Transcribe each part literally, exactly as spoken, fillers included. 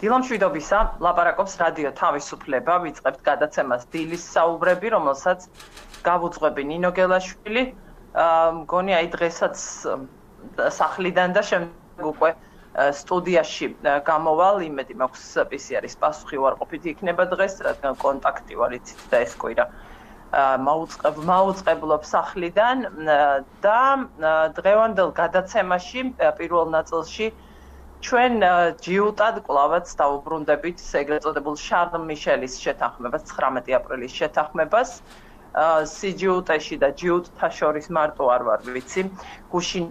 დილამშვიდობისა, ლაპარაკობს რადიო თავისუფლება, ვიწყებთ გადაცემას დილის საუბრები, რომელსაც გავუძღვები ნინო გელაშვილი. მგონი აი დღესაც სახლიდან და შემდეგ უკვე სტუდიაში გამოვალ, იმედი მაქვს პი სი არის პასუხი უარყოფითი იქნება დღეს, რადგან კონტაქტი ვარ იცით და ეს კვირა მაუწყებ მაუწყებლობ სახლიდან და დღევანდელ გადაცემაში პირველ ნაწილში ჩვენ ჯიუტად კლავაც დავუბრუნდებით ეგრეთ წოდებულ შარლ მიშელის შეთანხმებას, ცხრამეტი აპრილის შეთანხმებას. სიჯიუტეში და ჯიუტთა შორის მარტო არ ვარ ვიცი. გუშინ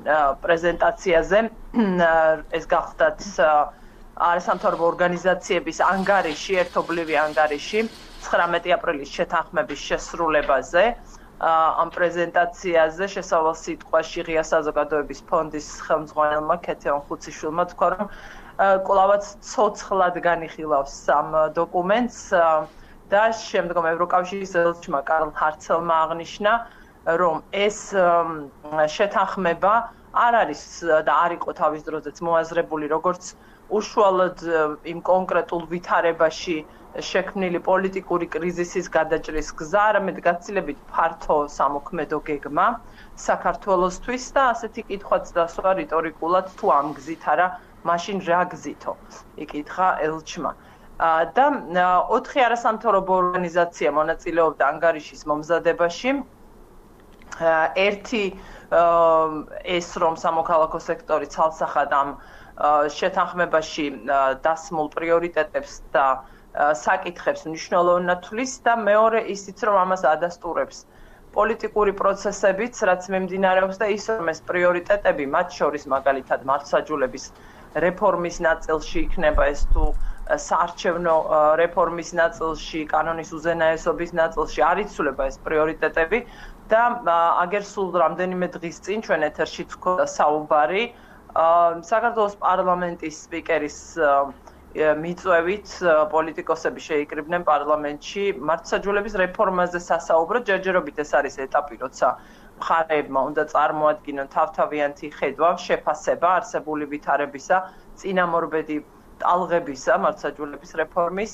პრეზენტაციაზე ეს გახდათ არასამთავრობო ორგანიზაციების ანგარიში, ერთობლივი ანგარიში ცხრამეტი აპრილის შეთანხმების შესრულებაზე. ამ პრეზენტაციაზე შესავალ სიტყვაში ღია საზოგადოების ფონდის ხელმძღვანელმა ქეთევან ხუციშვილმა თქვა, რომ კლავაც ცოცხლად განიხილავს ამ დოკუმენტს და შემდგომ ევროკავშირის ელჩმა კარლ ჰარცელმა აღნიშნა, რომ ეს შეთანხმება არ არის და არ იყო თავის დროზეც მოაზრებული როგორც უშუალოდ იმ კონკრეტულ ვითარებაში შექმნილი პოლიტიკური კრიზისის გადაჭრის გზა, არამედ გაცილებით ფართო სამოქმედო გეგმა საქართველოსთვის და ასეთი კითხვაც დასვა რიტორიკულად თუ ამ გზით არა, მაშინ რა გზითო? იკითხა ელჩმა. და ოთხი არასამთავრობო ორგანიზაცია მონაწილეობდა ანგარიშის მომზადებაში. ერთი ეს რომ სამოქალაქო სექტორი ცალსახად ამ შეთანხმებაში დასმულ პრიორიტეტებს და საკითხებს მნიშვნელოვნად თვლის და მეორე ისიც რომ ამას ადასტურებს პოლიტიკური პროცესებიც, რაც მიმდინარეობს და ის რომ ეს პრიორიტეტები, მათ შორის მაგალითად მართლმსაჯულების რეფორმის ნაწილში იქნება ეს თუ საარჩევნო რეფორმის ნაწილში, კანონის უზენაესობის ნაწილში არ იცვლება ეს პრიორიტეტები და აგერ სულ რამდენიმე დღის წინ ჩვენ ეთერში გქონდა საუბარი საქართველოს პარლამენტის სპიკერის მიწვევით პოლიტიკოსები შეიკრიბნენ პარლამენტში მართლმსაჯულების რეფორმაზე სასაუბროდ. ჯერჯერობით ეს არის ეტაპი, როცა მხარეებმა უნდა წარმოადგინონ თავთავიანთი ხედვა, შეფასება არსებული ვითარებისა, წინამორბედი ტალღებისა მართლმსაჯულების რეფორმის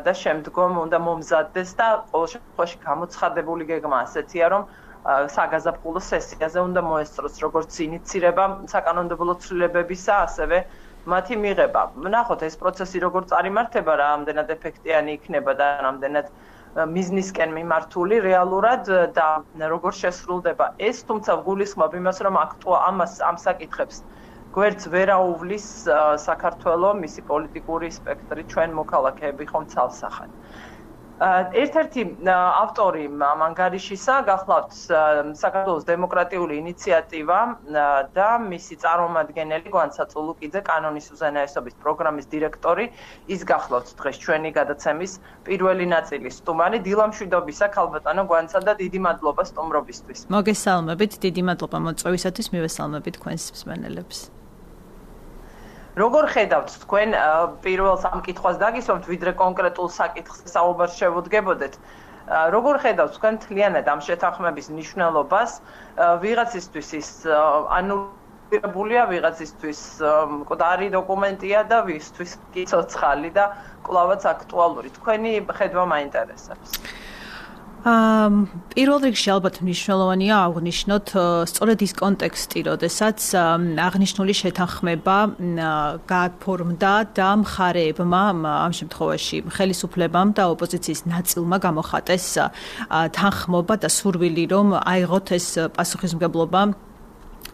და შემდგომ უნდა მომზადდეს და ყოველ შემთხვევაში გამოცხადებული გეგმა ასეთია, რომ საგაზაფხულო სესიაზე უნდა მოესწროს როგორც ინიცირება საკანონმდებლო ცვლილებებისა, ასევე მათი მიღება. ნახოთ ეს პროცესი როგორ წარიმართება, რამდენად ეფექტიანი იქნება და რამდენად მიზნისკენ მიმართული რეალურად და როგორ შესრულდება ეს, თუმცა ვგულისხმობ იმას, რომ აქტუა ამას ამ საკითხებს გვერდს ვერ აუვლის საქართველოს მისი პოლიტიკური სპექტრი, ჩვენ მოქალაქეები ხომ ცალსახად. ერთ-ერთი ავტორი ამ ანგარიშისა გახლავთ საქართველოს დემოკრატიული ინიციატივა და მისი წარმომადგენელი გვანცა წულუკიძე, კანონის უზენაესობის პროგრამის დირექტორი, ის გახლავთ დღეს ჩვენი გადაცემის პირველი ნაწილის სტუმარი. დილამშვიდობისა ქალბატონო გვანცა და დიდი მადლობა სტუმრობისთვის. მოგესალმებით, დიდი მადლობა მოწვევისათვის, მივესალმებით თქვენს მსმენელებს. როგორ ხედავთ თქვენ პირველ სამ კითხვას დაგისვამთ, ვიდრე კონკრეტულ საკითხს საუბარს შევუდგებოდეთ. როგორ ხედავთ თქვენ მთლიანად ამ შეთანხმების მნიშვნელობას ვიღაცისთვის ის ანულირებულია, ვიღაცისთვის მკვდარი დოკუმენტია და ვისთვის კი ცოცხალი და კვლავაც აქტუალური. თქვენი ხედვა მაინტერესებს. პირველ რიგში ალბათ მნიშვნელოვანია აღვნიშნოთ სწორედ ის კონტექსტი, როდესაც აღნიშნული შეთანხმება გაფორმდა და მხარეებმა, ამ შემთხვევაში ხელისუფლებამ და ოპოზიციის ნაწილმა გამოხატეს თანხმობა და სურვილი, რომ აიღოთ ეს პასუხისმგებლობა,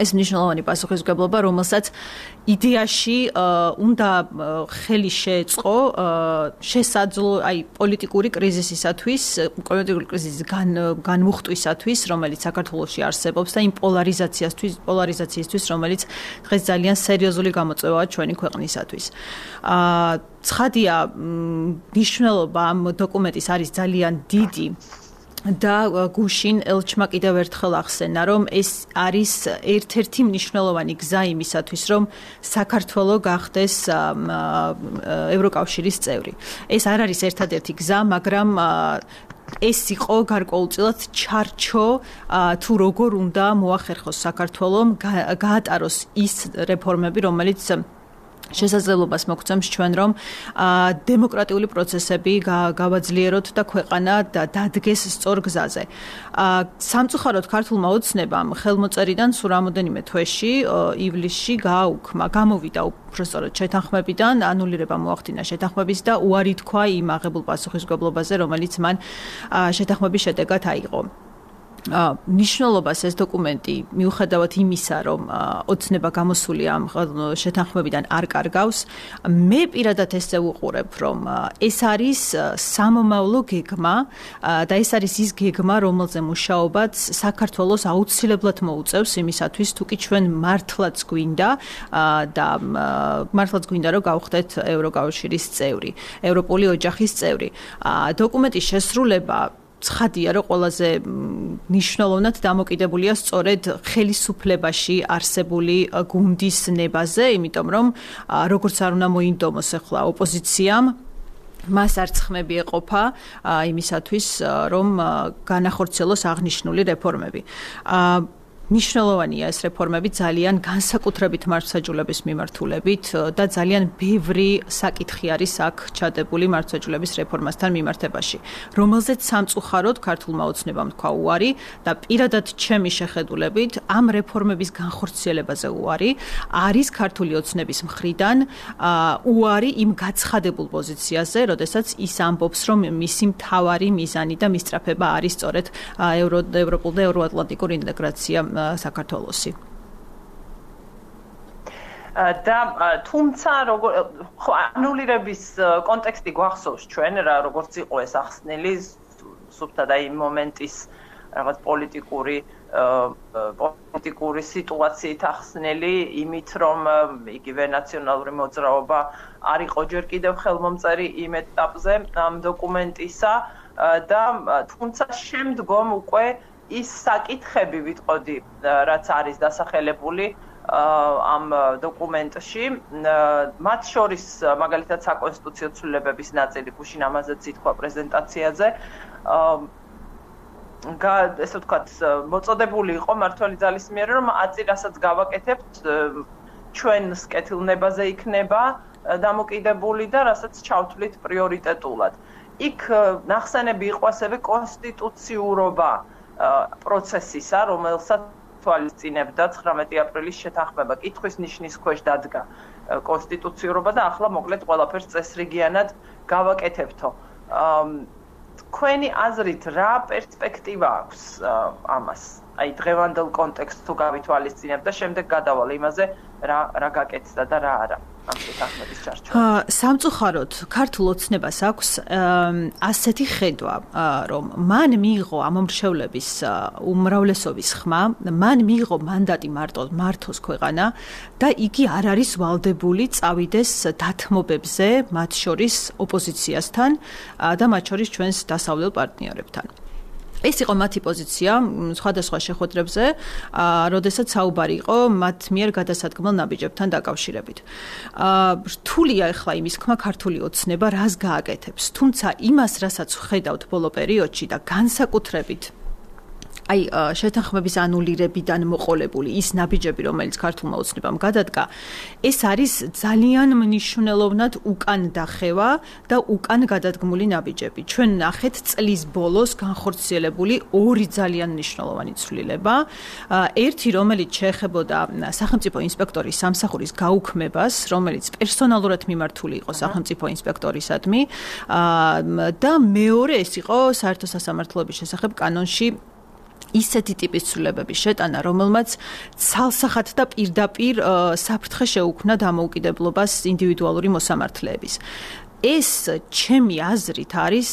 ეს მნიშვნელოვანი პასუხისმგებლობა, რომელსაც იდეაში უნდა ხელი შეეწყო შესაძლო, აი პოლიტიკური კრიზისისათვის, პოლიტიკური კრიზისის განმუხტვისათვის, რომელიც საქართველოში არსებობს და იმ პოლარიზაციასთვის, პოლარიზაციისთვის, რომელიც დღეს ძალიან სერიოზული გამოწვევაა ჩვენი ქვეყნისათვის. ცხადია, მნიშვნელობა ამ დოკუმენტის არის ძალიან დიდი. და გუშინ ელჩმა კიდევ ერთხელ ახსენა, რომ ეს არის ერთ-ერთი მნიშვნელოვანი გზა იმისათვის, რომ საქართველო გახდეს ევროკავშირის წევრი. ეს არ არის ერთადერთი გზა, მაგრამ ეს იყო გარკვეულწილად ჩარჩო თუ როგორ უნდა მოახერხოს საქართველომ გაატაროს ის რეფორმები, რომელიც შესაძლებლობას მოგცემს ჩვენ რომ დემოკრატიული პროცესები გავაძლიეროთ და ქვეყანა დადგეს სწორ გზაზე. სამწუხაროდ ქართულმა ოცნებამ ხელმოწერიდან სულ რამოდენიმე თვეში ივლისში გააუქმა, გამოვიდა უბრალოდ შეთანხმებიდან, ანულირება მოახდინა შეთანხმების და უარი თქვა იმ აღებულ პასუხისმგებლობაზე, რომელიც მან შეთანხმების შედეგად აიღო. ნიშნულობას ეს დოკუმენტი მიუხედავად იმისა, რომ ოცნება გამოსული ამ შეთანხმებიდან არ კარგავს, მე პირადად ესე ვუყურებ, რომ ეს არის სამომავლო გეგმა და ეს არის ის გეგმა, რომელზე მუშაობაც საქართველოს აუცილებლად მოუწევს იმისათვის, თუ კი ჩვენ მართლაც გვინდა და მართლაც გვინდა, რომ გავხდეთ ევროკავშირის წევრი, ევროპული ოჯახის წევრი. დოკუმენტის შესრულება ცხადია, რომ ყველაზე მნიშვნელოვნად დამოკიდებულია სწორედ ხელისუფლებაში არსებული გუნდის ნებაზე, იმიტომ რომ როგორც არ უნდა მოინდომოს ახლა ოპოზიციამ, მას არც ხმები ეყოფა იმისათვის, რომ განახორციელოს აღნიშნული რეფორმები. მნიშვნელოვანია ეს რეფორმები ძალიან განსაკუთრებით მართლმსაჯულების მიმართულებით და ძალიან ბევრი საკითხი არის აქ ჩადებული მართლმსაჯულების რეფორმასთან მიმართებაში, რომელზეც სამწუხაროდ ქართულმა ოცნებამ თქვა უარი და პირადად ჩემი შეხედულებით ამ რეფორმების განხორციელებაზე უარი არის ქართული ოცნების მხრიდან უარი იმ გაცხადებულ პოზიციაზე, როდესაც ის ამბობს, რომ მისი მთავარი მიზანი და მისწრაფება არის სწორედ ევროპულ და ევროატლანტიკურ ინტეგრაცია საქართველოსი. და თუმცა როგორ ხო ანულირების კონტექსტი გვახსოვს ჩვენ რა როგორც იყო ეს ახსნილი სუფთა და იმ მომენტის რაღაც პოლიტიკური პოლიტიკური სიტუაციით ახსნილი იმით რომ იგივე ნაციონალური მოძრაობა არ იყო ჯერ კიდევ ხელმომწერი იმ ეტაპზე ამ დოკუმენტისა და თუმცა შემდგომ უკვე ის საკითხები ვიტყოდი, რაც არის დასახელებული ამ დოკუმენტში, მათ შორის მაგალითად საკონსტიტუციო ცვლილებების ნაწილი, გუშინ ამაზეც ითქვა პრეზენტაციაზე, ესე ვთქვათ, მოწოდებული იყო მმართველი ძალის მიერ, რომ აწი რასაც გავაკეთებთ, ჩვენს კეთილნებაზე იქნება დამოკიდებული და რასაც ჩავთვლით პრიორიტეტულად. იქ ნახსენები იყო ასევე კონსტიტუციურობა პროცესისა, რომელსაც თვალისწინებდა ცხრამეტი აპრილის შეთანხმება. კითხვის ნიშნის ქვეშ დადგა კონსტიტუციურობა და ახლა მოკლედ ყველაფერს წესრიგიანად გავაკეთებთო. თქვენი აზრით რა პერსპექტივა აქვს ამას? აი დღევანდელ კონტექსტს თუ გავითვალისწინებთ და შემდეგ გადავალ იმაზე რა რა გაკეთდა და რა არა. სამწუხაროდ ქართულ ოცნებას აქვს ასეთი ხედვა, რომ მან მიიღო ამომრჩევლების უმრავლესობის ხმა, მან მიიღო მანდატი მართოს ქვეყანა და იგი არ არის ვალდებული წავიდეს დათმობებზე, მათ შორის ოპოზიციასთან და მათ შორის ჩვენს დასავლელ პარტნიორებთან. ეს იყო მათი პოზიცია სხვადასხვა შეხვედრებზე, როდესაც საუბარი იყო მათ მიერ გადასადგმელ ნაბიჯებთან დაკავშირებით. რთულია ახლა იმის ხმა ქართული ოცნება რას გააკეთებს, თუმცა იმას, რასაც ხედავთ ბოლო პერიოდში და განსაკუთრებით აი შეთანხმების ანულირებიდან მოყოლებული ის ნაბიჯები, რომელიც ქართულმა ოცნებამ გადადგა, ეს არის ძალიან მნიშვნელოვნად უკან დახევა და უკან გადადგმული ნაბიჯები. ჩვენ ნახეთ წლის ბოლოს განხორციელებული ორი ძალიან მნიშვნელოვანი ცვლილება. ერთი, რომელიც შეეხებოდა სახელმწიფო ინსპექტორის სამსახურის გაუქმებას, რომელიც პერსონალურად მიმართული იყო სახელმწიფო ინსპექტორისადმი და მეორე ეს იყო საერთო სასამართლოების შესახებ კანონში ისეთი ტიპის ცვლილებების შეტანა, რომელმაც ცალსახად და პირდაპირ საფრთხე შეუქმნა დამოუკიდებლობას ინდივიდუალური მოსამართლეების. ეს ჩემი აზრით არის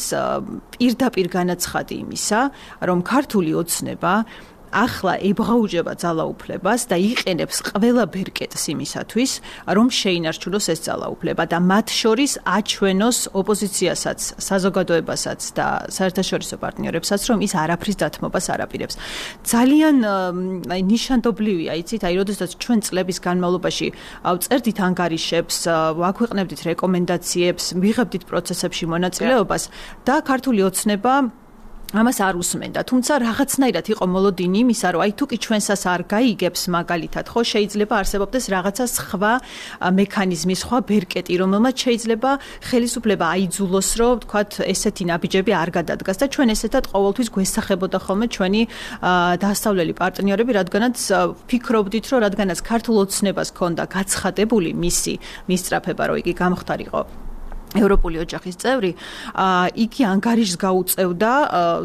პირდაპირ განაცხადი იმისა, რომ ქართული ოცნება ახლა ებღაუჯება ძალაუფლებას და იყენებს ყველა ბერკეტს იმისათვის, რომ შეინარჩუნოს ეს ძალაუფლება და მათ შორის აჩვენოს ოპოზიციასაც, საზოგადოებასაც და საერთაშორისო პარტნიორებსაც, რომ ის არაფრის დათმობას არ აპირებს. ძალიან აი ნიშანდობლივია, იცით, აი როდესაც ჩვენ წლების განმავლობაში ვწერდით ანგარიშებს, ვაქვეყნებდით რეკომენდაციებს, ვიღებდით პროცესებში მონაწილეობას და ქართული ოცნება ამას არ უსმენდა, თუმცა რაღაცნაირად იყო მოლოდინი იმისა, რომ აი თუ კი ჩვენსას არ გაიგებს მაგალითად, ხო შეიძლება არსებობდეს რაღაცა სხვა მექანიზმი, სხვა ბერკეტი, რომელმაც შეიძლება ხელისუფლება აიძულოს, რომ თქვათ ესეთი ნაბიჯები არ გადადგას და ჩვენ ესეთად ყოველთვის გვესახებოდა ხოლმე ჩვენი დასავლელი პარტნიორები, რადგანაც ფიქრობდით, რომ რადგანაც ქართულ ოცნებას ჰქონდა გაცხადებული მისი მისწრაფება, რომ იგი გამختارიყო ევროპული ოჯახის წევრი, იგი ანგარიშს გაუწევდა,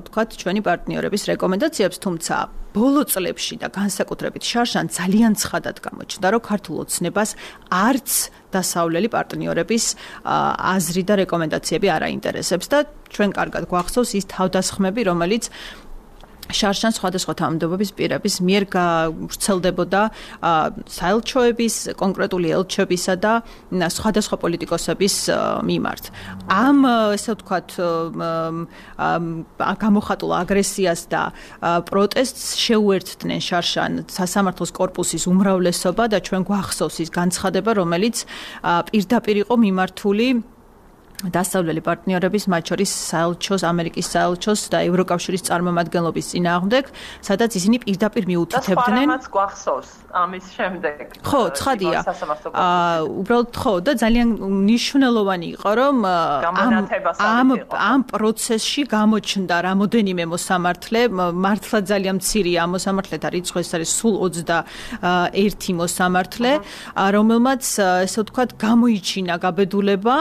თქვათ, ჩვენი პარტნიორების რეკომენდაციებს, თუმცა ბოლო წლებში და განსაკუთრებით შარშან ძალიან ცხადად გამოჩნდა, რომ ქართულ ოცნებას არც დასავლელი პარტნიორების აზრი და რეკომენდაციები არ აინტერესებს და ჩვენ კარგად გვახსოვს ის თავდასხმები, რომელიც შარშან სხვადასხვა თანამდებობის პირების მიერ ვრცელდებოდა საელჩოების, კონკრეტული ელჩებისა და სხვადასხვა პოლიტიკოსების მიმართ. ამ, ესე ვთქვათ, გამოხატულ აგრესიას და პროტესტს შეუერთდნენ შარშან სასამართლოს კორპუსის უმრავლესობა და ჩვენ გვახსოვს ის განცხადება, რომელიც პირდაპირ იყო მიმართული დასავლელი პარტნიორების, მათ შორის საელჩოს, ამერიკის საელჩოს და ევროკავშირის წარმომადგენლობის წინააღმდეგ, სადაც ისინი პირდაპირ მიუთითებდნენ. და გვახსოვს ამის შემდეგ. ხო, ცხადია. აა, უბრალოდ ხო და ძალიან მნიშვნელოვანი იყო, რომ ამ ამ პროცესში გამოჩნდა რამოდენიმე მოსამართლე, მართლა ძალიან მცირეა ამ მოსამართლეთა რიცხვი, ეს არის სულ ოცდაერთი მოსამართლე, რომელმაც, ესე ვთქვათ, გამოიჩინა გაბედულება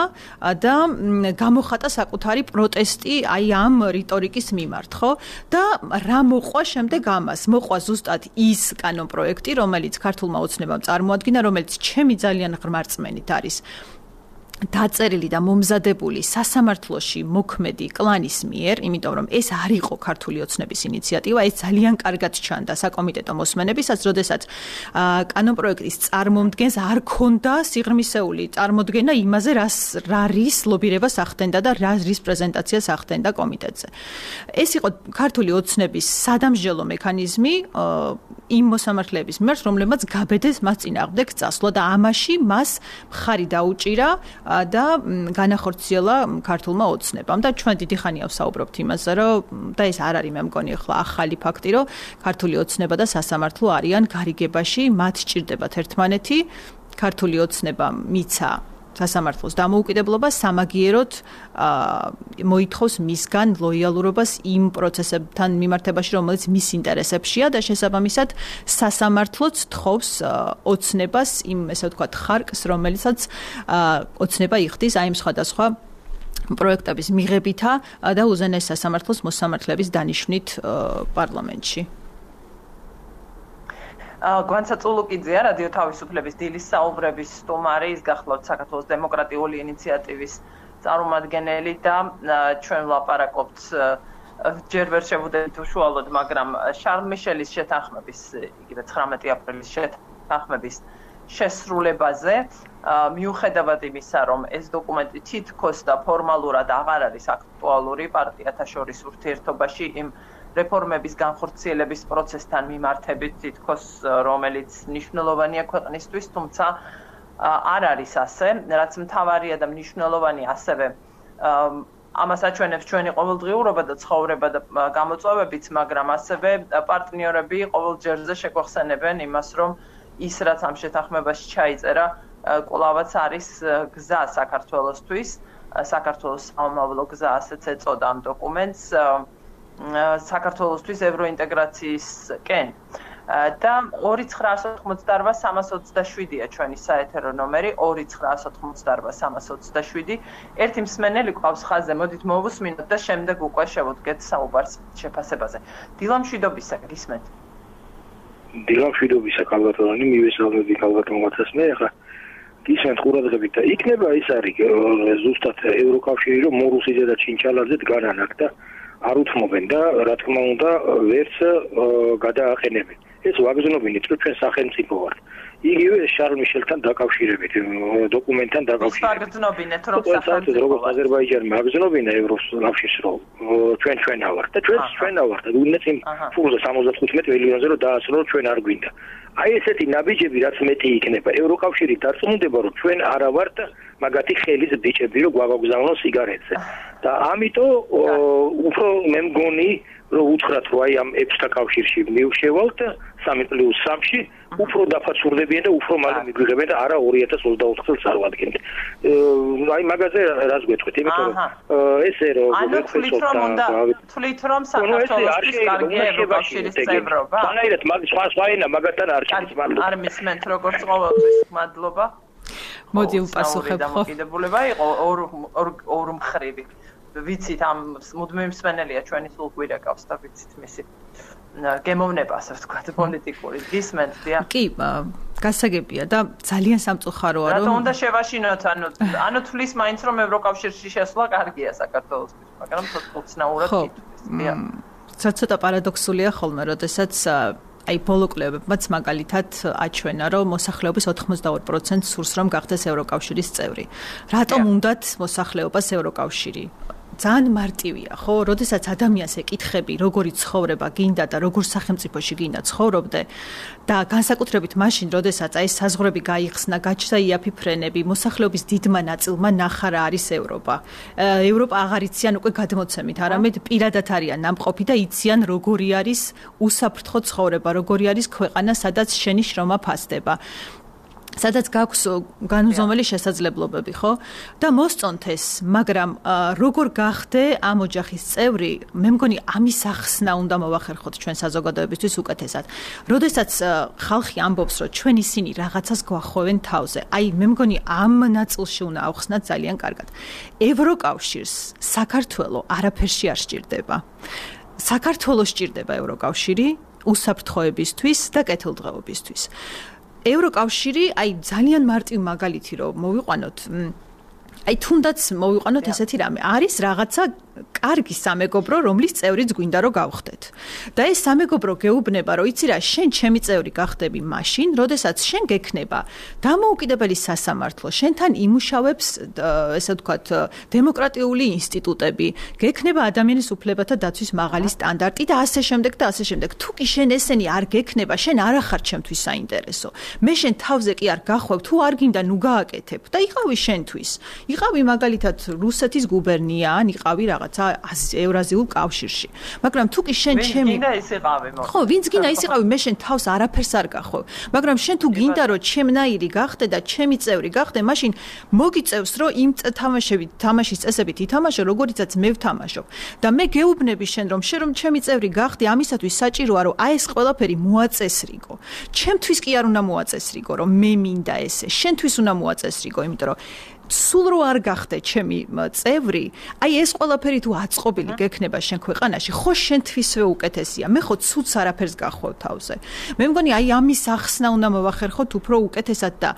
და გამოხატა საკუთარი პროტესტი აი ამ რიტორიკის მიმართ, ხო? და რა მოყვა შემდეგ ამას? მოყვა ზუსტად ის კანონპროექტი, რომელიც ქართულმა ოცნებამ წარმოადგინა, რომელიც ჩემი ძალიან ღრმარწმენით არის დაწერილი და მომზადებული სასამართლოში მოქმედი კლანის მიერ, იმიტომ რომ ეს არ იყო ქართული ოცნების ინიციატივა, ეს ძალიან კარგად ჩანდა საკომიტეტო მოსმენებისაც, როდესაც კანონპროექტის წარმომდგენს არ ქონდა სიღრმისეული წარმოდგენა იმაზე, რას რა რის ლობირებას ახდენდა და რა რის პრეზენტაციას ახდენდა კომიტეტზე. ეს იყო ქართული ოცნების სადამსჯელო მექანიზმი იმ მოსამართლეების მიმართ, რომლებმაც გაბედეს მას წინააღმდეგ წასვლა და ამაში მას მხარი დაუჭირა და განახორციელა ქართულმა ოცნებამ და ჩვენ დიდი ხანია ვსაუბრობთ იმაზე, რომ და ეს არ არის მე მგონი ახლა ახალი ფაქტი, რომ ქართული ოცნება და სასამართლო არიან გარიგებაში, მათ სჭირდებათ ერთმანეთი, ქართული ოცნება მიცა სასამართლოს დამოუკიდებლობა სამაგიეროდ მოითხოვს მისგან ლოიალურობას იმ პროცესებთან მიმართებაში, რომელიც მის ინტერესებშია და შესაბამისად სასამართლოც თხოვს ოცნებას იმ, ესე ვთქვათ, ხარკს, რომელიცაც ოცნება იხდის აი იმ სხვადასხვა პროექტების მიღებითა და უზენაეს სასამართლოს მოსამართლეების დანიშვნით პარლამენტში. გვანცა წულუკიძეა, რადიო თავისუფლების დილის საუბრების სტუმარი, ის გახლავთ საქართველოს დემოკრატიული ინიციატივის წარმომადგენელი და ჩვენ ვლაპარაკობთ ჯერ ვერ შევუდებით უშუალოდ, მაგრამ შარლ მიშელის შეთანხმების, იგივე ცხრამეტი აპრილის შეთანხმების შესრულებაზე, მიუხედავად იმისა, რომ ეს დოკუმენტი თითქოს და ფორმალურად აღარ არის აქტუალური პარტიათა შორის ურთიერთობაში იმ რეფორმების განხორციელების პროცესთან მიმართებით თითქოს, რომელიც მნიშვნელოვანია ქვეყნისთვის, თუმცა არ არის ასე, რაც მთავარია და მნიშვნელოვანი ასევე ამას აჩვენებს ჩვენი ყოველდღიურობა და ცხოვრება და გამოწვევებიც, მაგრამ ასევე პარტნიორები ყოველ ჯერზე შეგვახსენებენ იმას, რომ ის რაც ამ შეთანხმებაში ჩაიწერა, კვლავაც არის გზა საქართველოსთვის, საქართველოს სამომავლო გზა, ასეც ეწოდა ამ დოკუმენტს. საქართველოსთვის ევროინტეგრაციისკენ და ორი ცხრაას ოთხმოცდაარბა სამას ოცდაშვიდია ჩვენი საეთერო ნომერი ორი ცხრაას ოთხმოცდაარბა სამას ოცდაშვიდი. ერთი მსმენელი ყავს ხაზზე, მოდით მოვუსმინოთ და შემდეგ უკვე შევუდგეთ საუბარს შეფასებაზე. დილამშვიდობისა, გისმენთ. დილამშვიდობისა, კალბატონი, მივესალმები კალბატონმაცას მე ახლა გისმენთ ყურადღებით და იქნება ის არის ზუსტად ევროკავშირი, რომ მორუსიძე და ჩინჩალაძე დგანან და არ უთმობენ და რა თქმა უნდა ვერც გადააყენებენ. ეს ვაგზნობინით, რომ ჩვენ სახელმწიფო ვართ. იგივე შარლ მიშელთან დაკავშირებით, დოკუმენტთან დაკავშირებით. ვაგზნობინეთ, რომ სახელმწიფო როგორც აზერბაიჯანმა აგზნობინა ევროკავშირს, რომ ჩვენ ჩვენა ვართ და ჩვენც ჩვენა ვართ. უნდა იმ ფულზე სამოცდათხუთმეტი მილიონზე რომ დაასრულოთ, ჩვენ არ გვინდა. აი ესეთი ნაბიჯები რაც მეტი იქნება, ევროკავშირი დარწმუნდება, რომ ჩვენ არა ვართ მაგათი ხელის ბიჭები რომ გვაგაგზავნოს სიგარეტზე. და ამიტომ უფრო მე მგონი რომ უთხრათ რომ აი ამ ექვსთა კავშირში მივშევალთ სამი პლუს სამში უფრო დაფაცურდებიან და უფრო მალე მიგვიღებენ და არა ორი ათას ოცდაოთხ წელს წარვადგენთ. აი მაგაზე რას გვეტყვით? იმიტომ რომ ესე რომ ვეცოთ და თვლით რომ საქართველოს კარგი ევროკავშირის წევრობა. თანაირად მაგ სხვა სხვა ენა მაგათთან არ შედის მადლობა. არ მისმენთ როგორც ყოველთვის მადლობა. მოდი უპასუხებ ხო? დამოკიდებულება იყო ორ ორ მხრივი. ვიცით ამ მუდმივი მსმენელია ჩვენი სულ გვირეკავს და ვიცით მისი გემოვნება ასე ვთქვათ პოლიტიკური გისმენთ დია კი გასაგებია და ძალიან სამწუხაროა რომ რატომ უნდა შევაშინოთ ანუ ანუ თulis მაინც რომ ევროკავშირში შესვლა კარგია საქართველოსთვის მაგრამ თოთნაურად დია ცოტა პარადოქსულია ხოლმე როდესაც აი ბოლო კვლევებმაც მაგალითად აჩვენა რომ მოსახლეობის ოთხმოცდაორი პროცენტი სურს რომ გახდეს ევროკავშირის წევრი რატომ უნდათ მოსახლეობას ევროკავშირი ძალიან მარტივია, ხო? როდესაც ადამიანს ეკითხები, როგორი ცხოვრება გინდა და როგორ სახელმწიფოში გინდა ცხოვრობდე და განსაკუთრებით მაშინ, როდესაც აი საზღვრები გაიხსნა, გაჩნდა იაფი ფრენები, მოსახლეობის დიდმა ნაწილმა ნახა რა არის ევროპა. ევროპა აღარ იციან უკვე გადმოცემით, არამედ პირადად არიან ნამყოფი და იციან როგორი არის უსაფრთხო ცხოვრება, როგორი არის ქვეყანა, სადაც შენი შრომა ფასდება. სადაც გაქვს განუზომელი შესაძლებლობები, ხო? და მოსწონთ ეს, მაგრამ როგორ გახდე ამ ოჯახის წევრი, მე მგონი ამის ახსნა უნდა მოვახერხოთ ჩვენ საზოგადოებისთვის უკეთესად. როდესაც ხალხი ამბობს, რომ ჩვენ ისინი რაღაცას გვახვევენ თავზე, აი მე მგონი ამ ნაწილში უნდა ავხსნათ ძალიან კარგად. ევროკავშირს საქართველო არაფერში არ სჭირდება. საქართველოს სჭირდება ევროკავშირი უსაფრთხოებისთვის და კეთილდღეობისთვის. ევროკავშირი აი ძალიან მარტივ მაგალითი რომ მოვიყვანოთ აი თუნდაც მოვიყვანოთ ესეთი რამე არის რაღაცა კარგი სამეგობრო რომლის წევრიც გვინდა რომ გავხდეთ და ეს სამეგობრო გეუბნება რომ იცი რა შენ ჩემი წევრი გახდები მაშინ როდესაც შენ გექნება დამოუკიდებელი სასამართლო შენთან იმუშავებს ესე ვთქვათ დემოკრატიული ინსტიტუტები გექნება ადამიანის უფლებათა დაცვის მაღალი სტანდარტი და ასე შემდეგ და ასე შემდეგ თუ კი შენ ესენი არ გექნება შენ არ ახარ ჩემთვის საინტერესო მე შენ თავზე კი არ გახვევ თუ არ გინდა ნუ გააკეთებ და იყავი შენთვის იყავი მაგალითად რუსეთის გუბერნია ან იყავი რაღაცა ევრაზიულ კავშირში მაგრამ თუ კი შენ ჩემი გინდა ის იყავი მოკლედ ხო ვინც გინდა ის იყავი მე შენ თავს არაფერს არ გახვევ მაგრამ შენ თუ გინდა რომ ჩემნაირი გახდე და ჩემი წევრი გახდე მაშინ მოგიწევს რომ იმ თამაშებით თამაშის წესებით ითამაშო როგორიცაც მე ვთამაშობ და მე გეუბნები შენ რომ შენ რომ ჩემი წევრი გახდე ამისათვის საჭიროა რომ აი ეს ყველაფერი მოაწესრიგო ჩემთვის კი არ უნდა მოაწესრიგო რომ მე მინდა ესე შენთვის უნდა მოაწესრიგო იმიტომ რომ სულ რო არ გახდე ჩემი წევრი, აი ეს ყველაფერი თუ აწყობილი გექნება შენ ქვეყანაში, ხო შენთვისვე უკეთესია. მე ხო ცუც არაფერს გახვევ თავზე. მე მგონი აი ამის ახსნა უნდა მოვახერხოთ უფრო უკეთესად და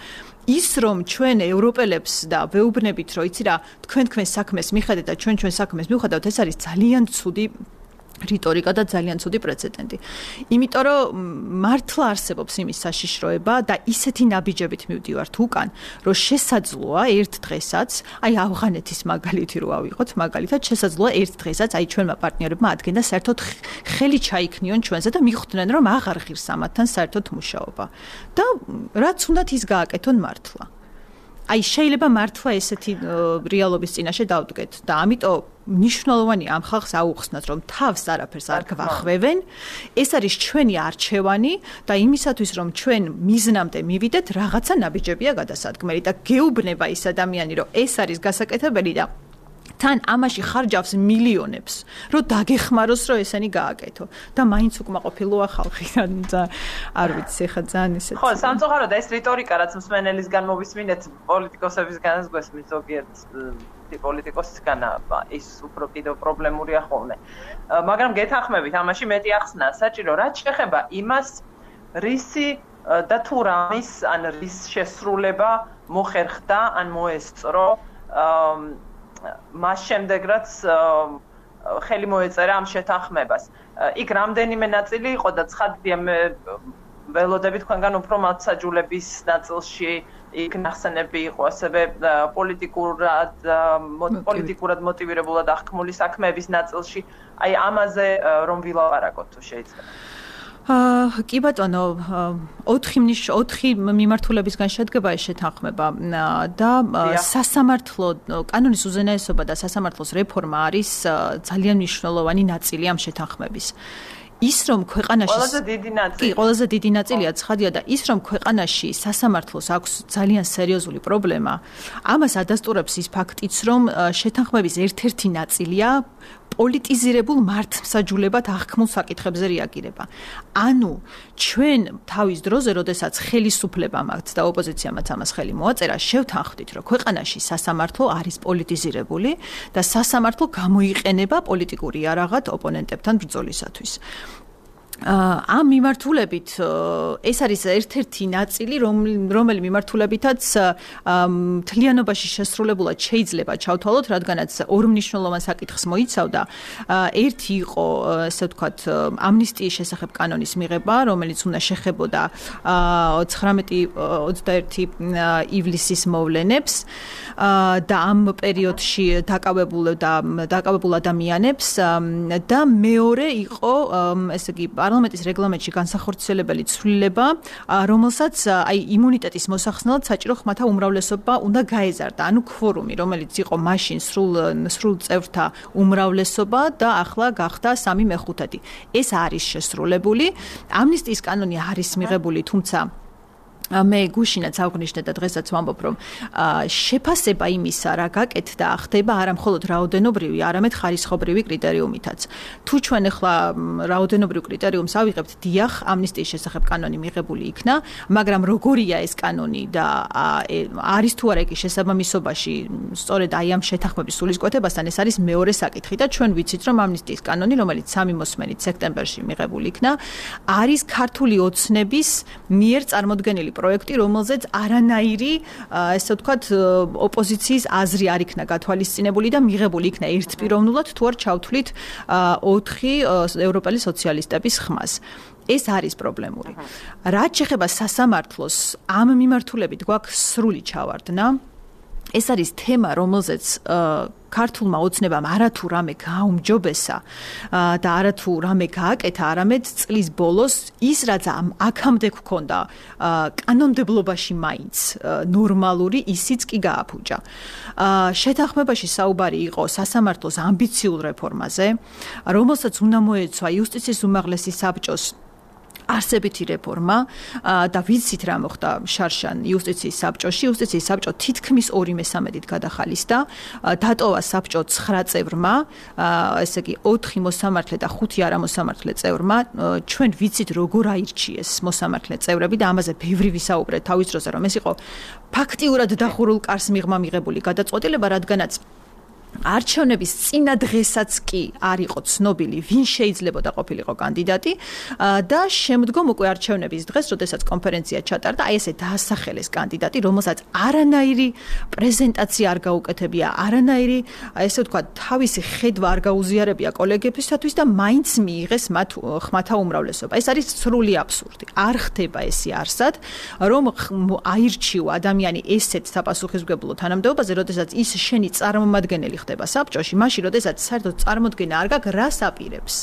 ის რომ ჩვენ ევროპელებს და ვეუბნებით რომ იცი რა, თქვენ თქვენ საქმეს მიხედეთ და ჩვენ ჩვენ საქმეს მივხედავთ, ეს არის ძალიან ცუდი რიტორიკა და ძალიან ცუდი პრეცედენტი. იმიტომ რომ მართლა არსებობს იმის საშიშროება და ისეთი ნაბიჯებით მივდივართ უკან, რომ შესაძლოა ერთ დღესაც, აი ავღანეთის მაგალითი რო ავიღოთ, მაგალითად შესაძლოა ერთ დღესაც აი ჩვენმა პარტნიორებმა ადგენდა საერთოდ ხელი ჩაიქნიონ ჩვენზე და მიხვდნენ რომ აღარ ღირს ამათთან საერთოდ მუშაობა. და რაც უნდათ ის გააკეთონ მართლა. აი შეიძლება მართლა ესეთი რეალობის წინაშე დავდგეთ და ამიტომ მნიშვნელოვანი ამ ხალხს აუხსნათ რომ თავს არაფერს არ გვახვევენ ეს არის ჩვენი არჩევანი და იმისათვის რომ ჩვენ მიზნამდე მივიდეთ რაღაცა ნაბიჯებია გადასადგმელი და გეუბნება ის ადამიანი რომ ეს არის გასაკეთებელი და თან ამაში ხარჯავს მილიონებს რომ დაგეხმაროს რომ ესენი გააკეთო და მაინც უკმაყოფილოა ხალხი და არ ვიცი ხა ძალიან ისეთ ხო სამწუხაროდ ეს რიტორიკა რაც მსმენელისგან მოვისმინეთ პოლიტიკოსებისგანაც გვესმის ზოგიერთ პოლიტიკოსისგან ის უფრო კიდევ პრობლემურია ხოლმე მაგრამ გეთანხმებით ამაში მეტი ახსნა საჭირო რაც შეეხება იმას რისი და თუ რამის ან რის შესრულება მოხერხდა ან მოესწრო მას შემდეგ რაც ხელი მოეწერა ამ შეთანხმებას. იქ რამდენიმე ნაწილი იყო და ცხადია მე ველოდები თქვენგან უფრო მათსაჯულების ნაწილში იქ ნახსენები იყო ასევე პოლიტიკურად პოლიტიკურად მოტივირებულად აღქმული საქმეების ნაწილში. აი ამაზე რომ ვილაპარაკოთ თუ შეიძლება. აა კი ბატონო, ოთხი ოთხი მიმართულებისგან შედგება ეს შეთანხმება და სასამართლო კანონის უზენაესობა და სასამართლოს რეფორმა არის ძალიან მნიშვნელოვანი ნაწილი ამ შეთანხმების. ის რომ ქვეყანაში ყველაზე დიდი ნაწილი. კი, ყველაზე დიდი ნაწილია ცხადია და ის რომ ქვეყანაში სასამართლოს აქვს ძალიან სერიოზული პრობლემა, ამას ადასტურებს ის ფაქტიც, რომ შეთანხმების ერთ-ერთი ნაწილია პოლიტიზირებულ მართლმსაჯულებად აღქმულ საკითხებზე რეაგირება. ანუ ჩვენ თავის დროზე, როდესაც ხელისუფლება მაქვს და ოპოზიციამაც ამას ხელი მოაწერა, შევთანხმდით, რომ ქვეყანაში სასამართლო არის პოლიტიზირებული და სასამართლო გამოიყენება პოლიტიკური იარაღად ოპონენტებთან ბრძოლისათვის. ამ მიმართულებით ეს არის ერთ-ერთი ნაწილი, რომელი მიმართულებითაც მთლიანობაში შესრულებულად შეიძლება ჩავთვალოთ, რადგანაც ორ მნიშვნელოვან საკითხს მოიცავდა. ერთი იყო, ესე ვთქვათ, ამნისტიის შესახებ კანონის მიღება, რომელიც უნდა შეხებოდა ცხრამეტი ოცდაერთი ივლისის მოვლენებს და ამ პერიოდში დაკავებულ და დაკავებულ ადამიანებს და მეორე იყო, ესე იგი, პარლამენტის რეგლამენტში განსახორციელებელი ცვლილება, რომელსაც აი იმუნიტეტის მოსახსნელად საჭირო ხმათა უმრავლესობა უნდა გაეზარდა, ანუ ქვორუმი, რომელიც იყო მაშინ სრულ სრულ წევრთა უმრავლესობა და ახლა გახდა სამი მეხუთედი. ეს არის შესრულებული. ამნისტიის კანონი არის მიღებული, თუმცა მე გუშინაც აღვნიშნე და დღესაც ვამბობ, რომ შეფასება იმისა, რა გაკეთდა, ხდება არა მხოლოდ რაოდენობრივი, არამედ ხარისხობრივი კრიტერიუმითაც. თუ ჩვენ ახლა რაოდენობრივ კრიტერიუმს ავიღებთ, დიახ, ამნისტიის შესახებ კანონი მიღებული იქნა, მაგრამ როგორია ეს კანონი და არის თუ არა კი შესაბამისობაში, სწორედ აი ამ შეთანხმების სულისკვეთებასთან ეს არის მეორე საკითხი და ჩვენ ვიცით, რომ ამნისტიის კანონი, რომელიც სამი მოსმენით სექტემბერში მიღებული იქნა, არის ქართული ოცნების მიერ წარმოდგენილი პროექტი, რომელზეც არანაირი, ესე ვთქვათ, ოპოზიციის აზრი არ იქნა გათვალისწინებული და მიღებული იქნა ერთპიროვნულად, თუ არ ჩავთვლით ოთხი ევროპელი სოციალისტების ხმას. ეს არის პრობლემური. რაც შეეხება სასამართლოს, ამ მიმართულებით გვაქვს სრული ჩავარდნა. ეს არის თემა, რომელზეც ქართულმა ოცნებამ არათუ რამე გააუმჯობესა და არათუ რამე გააკეთა, არამედ წლის ბოლოს ის, რაც აქამდე გქონდა კანონმდებლობაში მაინც ნორმალური, ისიც კი გააფუჭა. შეთანხმებაში საუბარი იყო სასამართლოს ამბიციურ რეფორმაზე, რომელსაც უნდა მოეცვა იუსტიციის უმაღლესი საბჭოს არსებითი რეფორმა და ვიცით რა მოხდა შარშან იუსტიციის საბჭოში. იუსტიციის საბჭო თითქმის ორი მესამედით გადახალისდა, დატოვა საბჭო ცხრა წევრმა, ესე იგი ოთხი მოსამართლე და ხუთი არამოსამართლე წევრმა. ჩვენ ვიცით როგორ აირჩიეს მოსამართლე წევრები და ამაზე ბევრი ვისაუბრეთ თავის დროზე, რომ ეს იყო ფაქტიურად დახურულ კარს მიღმა მიღებული გადაწყვეტილება, რადგანაც არჩევნების წინა დღესაც კი არ იყო ცნობილი, ვინ შეიძლებოდა ყოფილიყო კანდიდატი და შემდგომ უკვე არჩევნების დღეს, როდესაც კონფერენცია ჩატარდა, აი ესე დაასახელეს კანდიდატი, რომელსაც არანაირი პრეზენტაცია არ გაუკეთებია, არანაირი, ესე ვთქვათ, თავისი ხედვა არ გაუზიარებია კოლეგებისათვის და მაინც მიიღეს მათ ხმათა უმრავლესობა. ეს არის სრული აბსურდი. არ ხდება ესე არსად, რომ აირჩიო ადამიანი ესეთ საპასუხისმგებლო თანამდებობაზე, როდესაც ის შენი წარმომადგენელი ხდება საბჭოში, მაშინ როდესაც საერთოდ წარმოდგენა არ გაქვს, რას აპირებს.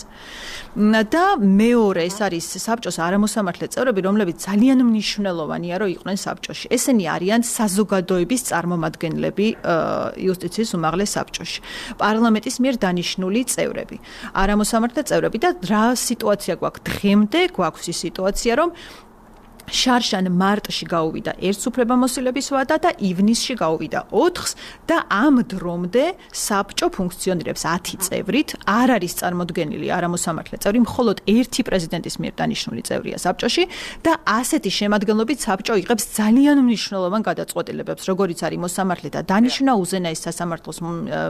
და მეორე ეს არის საბჭოს არამოსამართლე წევრები, რომლებიც ძალიან მნიშვნელოვანია, რომ იყვნენ საბჭოში. ესენი არიან საზოგადოების წარმომადგენლები იუსტიციის უმაღლეს საბჭოში. პარლამენტის მიერ დანიშნული წევრები, არამოსამართლე წევრები და რა სიტუაცია გვაქვს დღემდე? გვაქვს ის სიტუაცია, რომ შარშან მარტში გაუვიდა ერთს უფლებამოსილების ვადა და ივნისში გაუვიდა ოთხს და ამ დრომდე საბჭო ფუნქციონირებს ათი წევრით, არ არის წარმოდგენილი არამოსამართლე წევრი, მხოლოდ ერთი პრეზიდენტის მიერ დანიშნული წევრია საბჭოში და ასეთი შემადგენლობით საბჭო იღებს ძალიან მნიშვნელოვან გადაწყვეტილებებს, როგორიც არის მოსამართლე და დანიშნა, უზენაეს სასამართლოს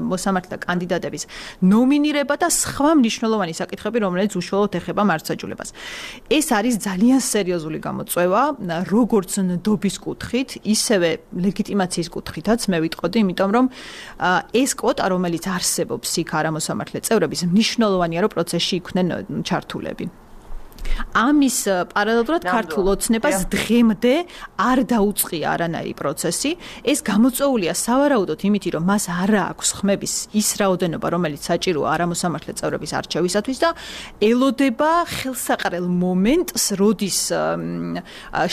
მოსამართლე კანდიდატების ნომინირება და სხვა მნიშვნელოვანი საკითხები, რომელიც უშუალოდ ეხება მართლმსაჯულებას. ეს არის ძალიან სერიოზული გამოწვევა, როგორც ნდობის კუთხით, ისევე ლეგიტიმაციის კუთხითაც მე ვიტყოდი, იმიტომ რომ ეს კვოტა, რომელიც არსებობს იქ არამოსამართლე წევრების, მნიშვნელოვანია, რომ პროცესში იყვნენ ჩართულები. ამის პარალელურად ქართულ ოცნებას დღემდე არ დაუწყია არანაირი პროცესი. ეს გამოწვეულია სავარაუდოდ იმით, რომ მას არ აქვს ხმების ის რაოდენობა, რომელიც საჭიროა არამოსამართლე წევრების არჩევისათვის და ელოდება ხელსაყრელ მომენტს, როდის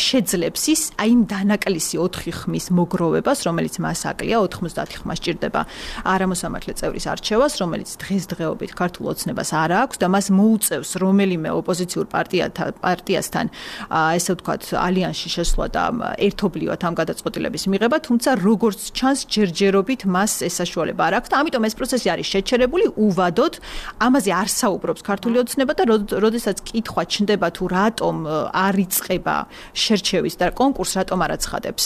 შეძლებს ის აი იმ დანაკლისი ოთხი ხმის მოგროვებას, რომელიც მას აკლია ოთხმოცდაათი ხმა სჭირდება არამოსამართლე წევრის არჩევას, რომელიც დღესდღეობით ქართულ ოცნებას არ აქვს და მას მოუწევს რომელიმე ოპოზიციურ პარტიასთან ესე ვთქვათ ალიანსში შესვლა და ერთობლივად ამ გადაწყვეტილების მიღება, თუმცა როგორც ჩანს ჯერჯერობით მას ეს საშუალება არ აქვს და ამიტომ ეს პროცესი არის შეჩერებული უვადოდ, ამაზე არ საუბრობს ქართული ოცნება და როდესაც კითხვა ჩნდება თუ რატომ არ იწყება შერჩევის და კონკურს რატომ არ აცხადებს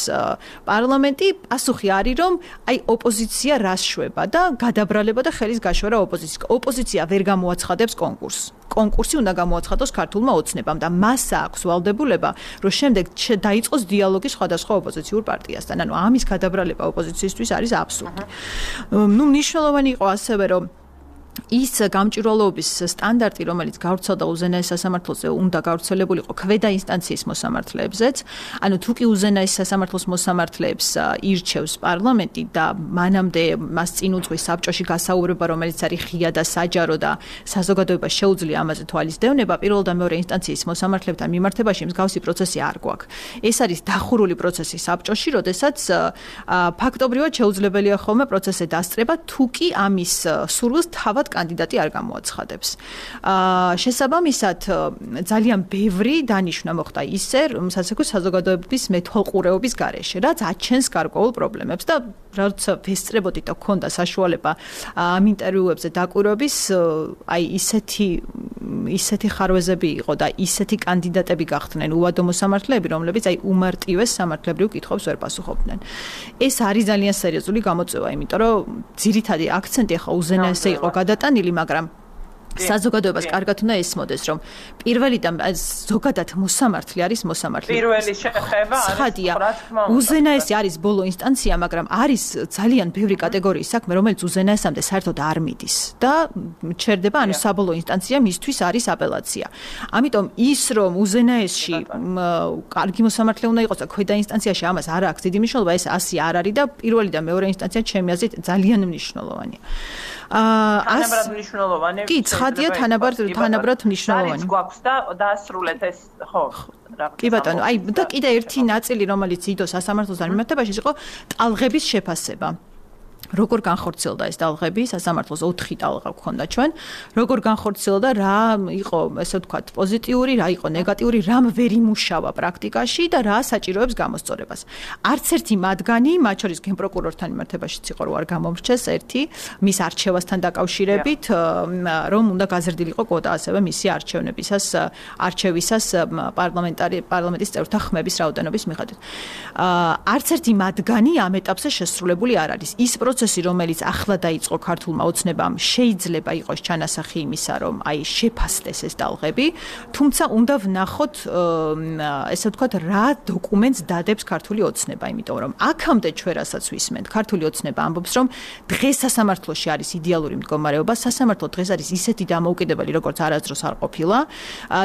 პარლამენტი, პასუხი არის რომ აი ოპოზიცია რას შვება და გადაბრალება და ხელის გაშვერა ოპოზიციას. ოპოზიცია ვერ გამოაცხადებს კონკურსს. კონკურსი უნდა გამოაცხადოს ქართულმა ოცნებამ და მას აქვს ვალდებულება, რომ შემდეგ დაიწყოს დიალოგი სხვადასხვა ოპოზიციურ პარტიასთან. ანუ ამის გადაბრალება ოპოზიციისთვის არის აბსურდი. ნუ მნიშვნელოვანი იყო ასევე რომ ის გამჭვირვალობის სტანდარტი, რომელიც გავრცელდა უზენაეს სასამართლოზე, უნდა გავრცელებულიყო ქვედა ინსტანციის მოსამართლეებზეც. ანუ თუ კი უზენაეს სასამართლოს მოსამართლეებს ირჩევს პარლამენტი და მანამდე მას წინ უძღვის საბჭოში გასაუბრება, რომელიც არის ღია და საჯარო და საზოგადოებას შეუძლია ამაზე თვალის დევნება, პირველ და მეორე ინსტანციის მოსამართლებთან მიმართებაში მსგავსი პროცესი არ გვაქვს. ეს არის დახურული პროცესი საბჭოში, როდესაც ფაქტობრივად შეუძლებელია ხოლმე პროცესზე დასწრება, თუ კი ამის სურვილს თავად კანდიდატი არ გამოაცხადებს. შესაბამისად, ძალიან ბევრი დანიშვნა მოხდა ისე, სასექოს საზოგადოების მეთვალყურეობის გარეშე, რაც აჩენს გარკვეულ პრობლემებს და როცა ვესწრებოდი და გქონდა საშუალება ამ ინტერვიუებზე დაკვირვების, აი ისეთი ისეთი ხარვეზები იყო და ისეთი კანდიდატები გახდნენ უვადო მოსამართლეები, რომლებიც აი უმარტივეს სამართლებრივ კითხვებს ვერ პასუხობდნენ. ეს არის ძალიან სერიოზული გამოწვევა, იმიტომ რომ ძირითადი აქცენტი ახლა უზენაესზე იყო გადატანილი, მაგრამ საზოგადოებას კარგად უნდა ესმოდეს, რომ პირველი და ზოგადად მოსამართლე არის მოსამართლე. პირველი შეხება არის, რა თქმა უნდა. უზენაესი არის ბოლო ინსტანცია, მაგრამ არის ძალიან ბევრი კატეგორიის საქმე, რომელიც უზენაესამდე საერთოდ არ მიდის და ჩერდება, ანუ საბოლოო ინსტანცია მისთვის არის აპელაცია. ამიტომ ის, რომ უზენაესში კარგი მოსამართლე უნდა იყოს და ქვედა ინსტანციაში ამას არ აქვს დიდი მნიშვნელობა, ეს ასე არ არის და პირველი და მეორე ინსტანცია ჩემი აზრით ძალიან მნიშვნელოვანია. თანაბრად მნიშვნელოვანი. კი, ცხადია თანაბრად თანაბრად მნიშვნელოვანი. არის გვაქვს და დაასრულეთ ეს, ხო. კი ბატონო, აი და კიდე ერთი ნაწილი, რომელიც იდო სასამართლოსთან მიმართებაში იყო ტალღების შეფასება. როგორ განხორციელდა ეს ტალღები, სასამართლოს ოთხი ტალღა გქონდა ჩვენ, როგორ განხორციელდა, რა იყო, ესე ვთქვათ, პოზიტიური, რა იყო ნეგატიური, რამ ვერ იმუშავა პრაქტიკაში და რა საჭიროებს გამოსწორებას. არც ერთი მათგანი, მათ შორის გენპროკურორთან მიმართებაშიც იყო, რომ არ გამომრჩეს ერთი მის არჩევასთან დაკავშირებით, რომ უნდა გაზრდილიყო კვოტა ასევე მისი არჩევნებისას, არჩევისას პარლამენტარი პარლამენტის წევრთა ხმების რაოდენობის მიხედვით. არც ერთი მათგანი ამ ეტაპზე შესრულებული არ არის. ის პროცესი, რომელიც ახლა დაიწყო ქართულმა ოცნებამ, შეიძლება იყოს ჩანასახი იმისა, რომ აი შეფასდეს ეს ტალღები, თუმცა უნდა ვნახოთ, ესე ვთქვათ, რა დოკუმენტს დადებს ქართული ოცნება, იმიტომ რომ აქამდე ჩვენ რასაც ვისმენთ, ქართული ოცნება ამბობს, რომ დღეს სასამართლოში არის იდეალური მდგომარეობა, სასამართლო დღეს არის ისეთი დამოუკიდებელი, როგორც არასდროს არ ყოფილა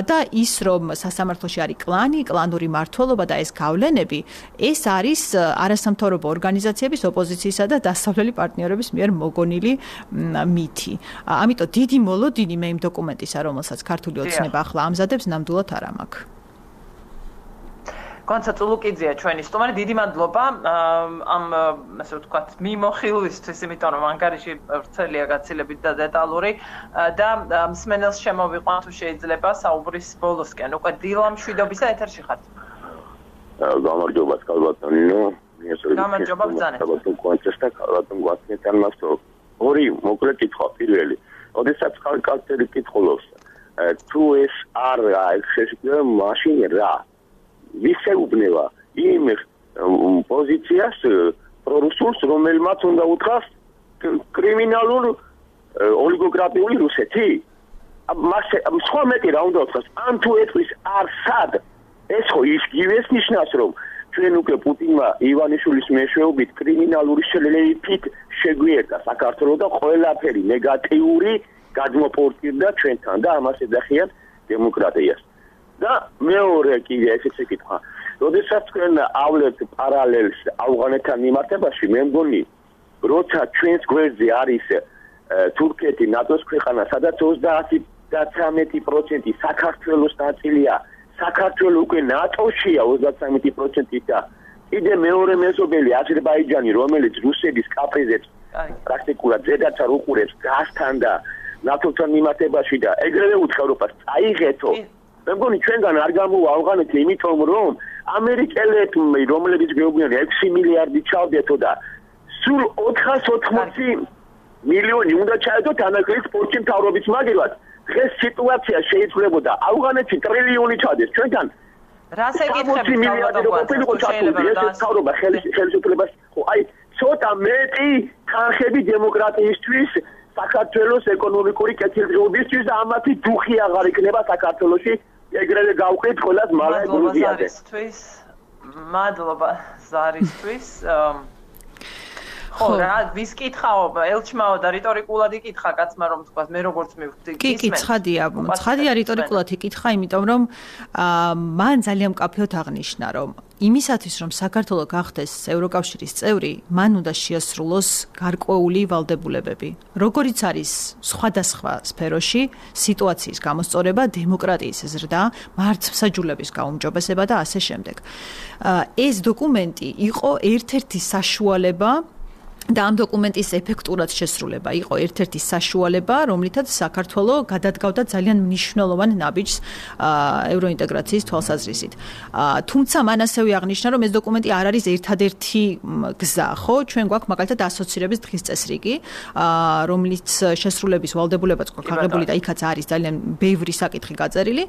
და ის, რომ სასამართლოში არის კლანი, კლანური მმართველობა და ეს გავლენები, ეს არის არასამთავრობო ორგანიზაციების, ოპოზიციისა და დასავლელი პარტნიორების მიერ მოგონილი მითი. ამიტომ დიდი მოლოდინი მე იმ დოკუმენტისა, რომელსაც ქართული ოცნება ახლა ამზადებს, ნამდვილად არ მაქვს. კონცა წულუკიძეა ჩვენი სტუმარი, დიდი მადლობა ამ ასე ვთქვათ მიმოხილვისთვის, იმიტომ რომ ანგარიში ვრცელია გაცილებით და დეტალური და მსმენელს შემოვიყვან თუ შეიძლება საუბრის ბოლოსკენ. უკვე დილა მშვიდობისა ეთერში ხართ. გამარჯობა კალბატონინო. გამარჯობა ბრძანე. კონცესტა კალბატონ გვასწრებთან მასო. ორი მოკლე კითხვა პირველი. ოდესაც ხალხი კითხულობს თუ ეს არ შეშფოთება მაშინ რა ვისეუბნება იმ პოზიციას პრორუსულს, რომელმაც უნდა უთხრას კრიმინალურ ოლიგოკრატიული რუსეთი. მას სხვა მეტი რა უნდა უთხრას, ან თუ ეთქვის არსად, ეს ხო ის გივეს ნიშნავს, რომ ჩვენ უკვე პუტინმა ივანიშვილის მეშვეობით კრიმინალური შლეიფით შეგვიერთა საქართველოს და ყველაფერი ნეგატიური გადმოპორტირდა ჩვენთან და ამას ეძახიან დემოკრატიას. და მეორე კიდე ესეც ეკითხა. როდესაც თქვენ ავლეთ პარალელს ავღანეთთან მიმართებაში, მე მგონი, როცა ჩვენს გვერდზე არის თურქეთი, ნატოს ქვეყანა, სადაც ოცდაათი და ცხრამეტი პროცენტი საქართველოს ნაწილია, საქართველო უკვე ნატოშია ოცდათვრამეტი პროცენტით და კიდე მეორე მეზობელი აზერბაიჯანი, რომელიც რუსების კაფეზე პრაქტიკულად ზედაც არ უყურებს გასთან და ნატოსთან მიმართებაში და ეგრევე უცხოებას წაიღეთო. მე მგონი ჩვენგან არ გამოვა ავღანეთი, იმიტომ რომ ამერიკელები, რომლებიც გვეუბნიან ექვსი მილიარდი ჩავდეთო და სულ ოთხას ოთხმოცი მილიონი უნდა ჩაედოთ ანაკრის სპორტში მთავრობის მაგილად. დღეს სიტუაცია შეიცვლებოდა ავღანეთში ტრილიონი ჩადეს ჩვენთან. რას ეკითხები მთავრობა ხელისუფლებას ხო აი ცოტა მეტი თანხები დემოკრატიისთვის საქართველოს ეკონომიკური კეთილდღეობისთვის და ამათი დუხი აღარ იქნება საქართველოში ეგრევე გავყიდ ყველას მალე გრუზიაზე. მადლობა ზარისთვის. ხო რა ვის კითხაო ელჩმაო და რიტორიკულად იკითხა კაცმა რომ თქვა მე როგორც მივხვდი კი კი ცხადია ცხადია რიტორიკულად იკითხა იმიტომ რომ მან ძალიან მკაფიოდ აღნიშნა რომ იმისათვის რომ საქართველო გახდეს ევროკავშირის წევრი მან უნდა შეასრულოს გარკვეული ვალდებულებები როგორიც არის სხვადასხვა სფეროში სიტუაციის გამოსწორება დემოკრატიის ზრდა მართლმსაჯულების გაუმჯობესება და ასე შემდეგ ეს დოკუმენტი იყო ერთ-ერთი საშუალება და ამ დოკუმენტის ეფექტურად შესრულება იყო ერთ-ერთი საშუალება, რომლითაც საქართველო გადადგავდა ძალიან მნიშვნელოვან ნაბიჯს ევროინტეგრაციის თვალსაზრისით. თუმცა მან ასევე აღნიშნა, რომ ეს დოკუმენტი არ არის ერთადერთი გზა, ხო? ჩვენ გვაქვს მაგალითად ასოცირების დღის წესრიგი, რომლის შესრულების ვალდებულებაც გვაქვს აღებული და იქაც არის ძალიან ბევრი საკითხი გაწერილი.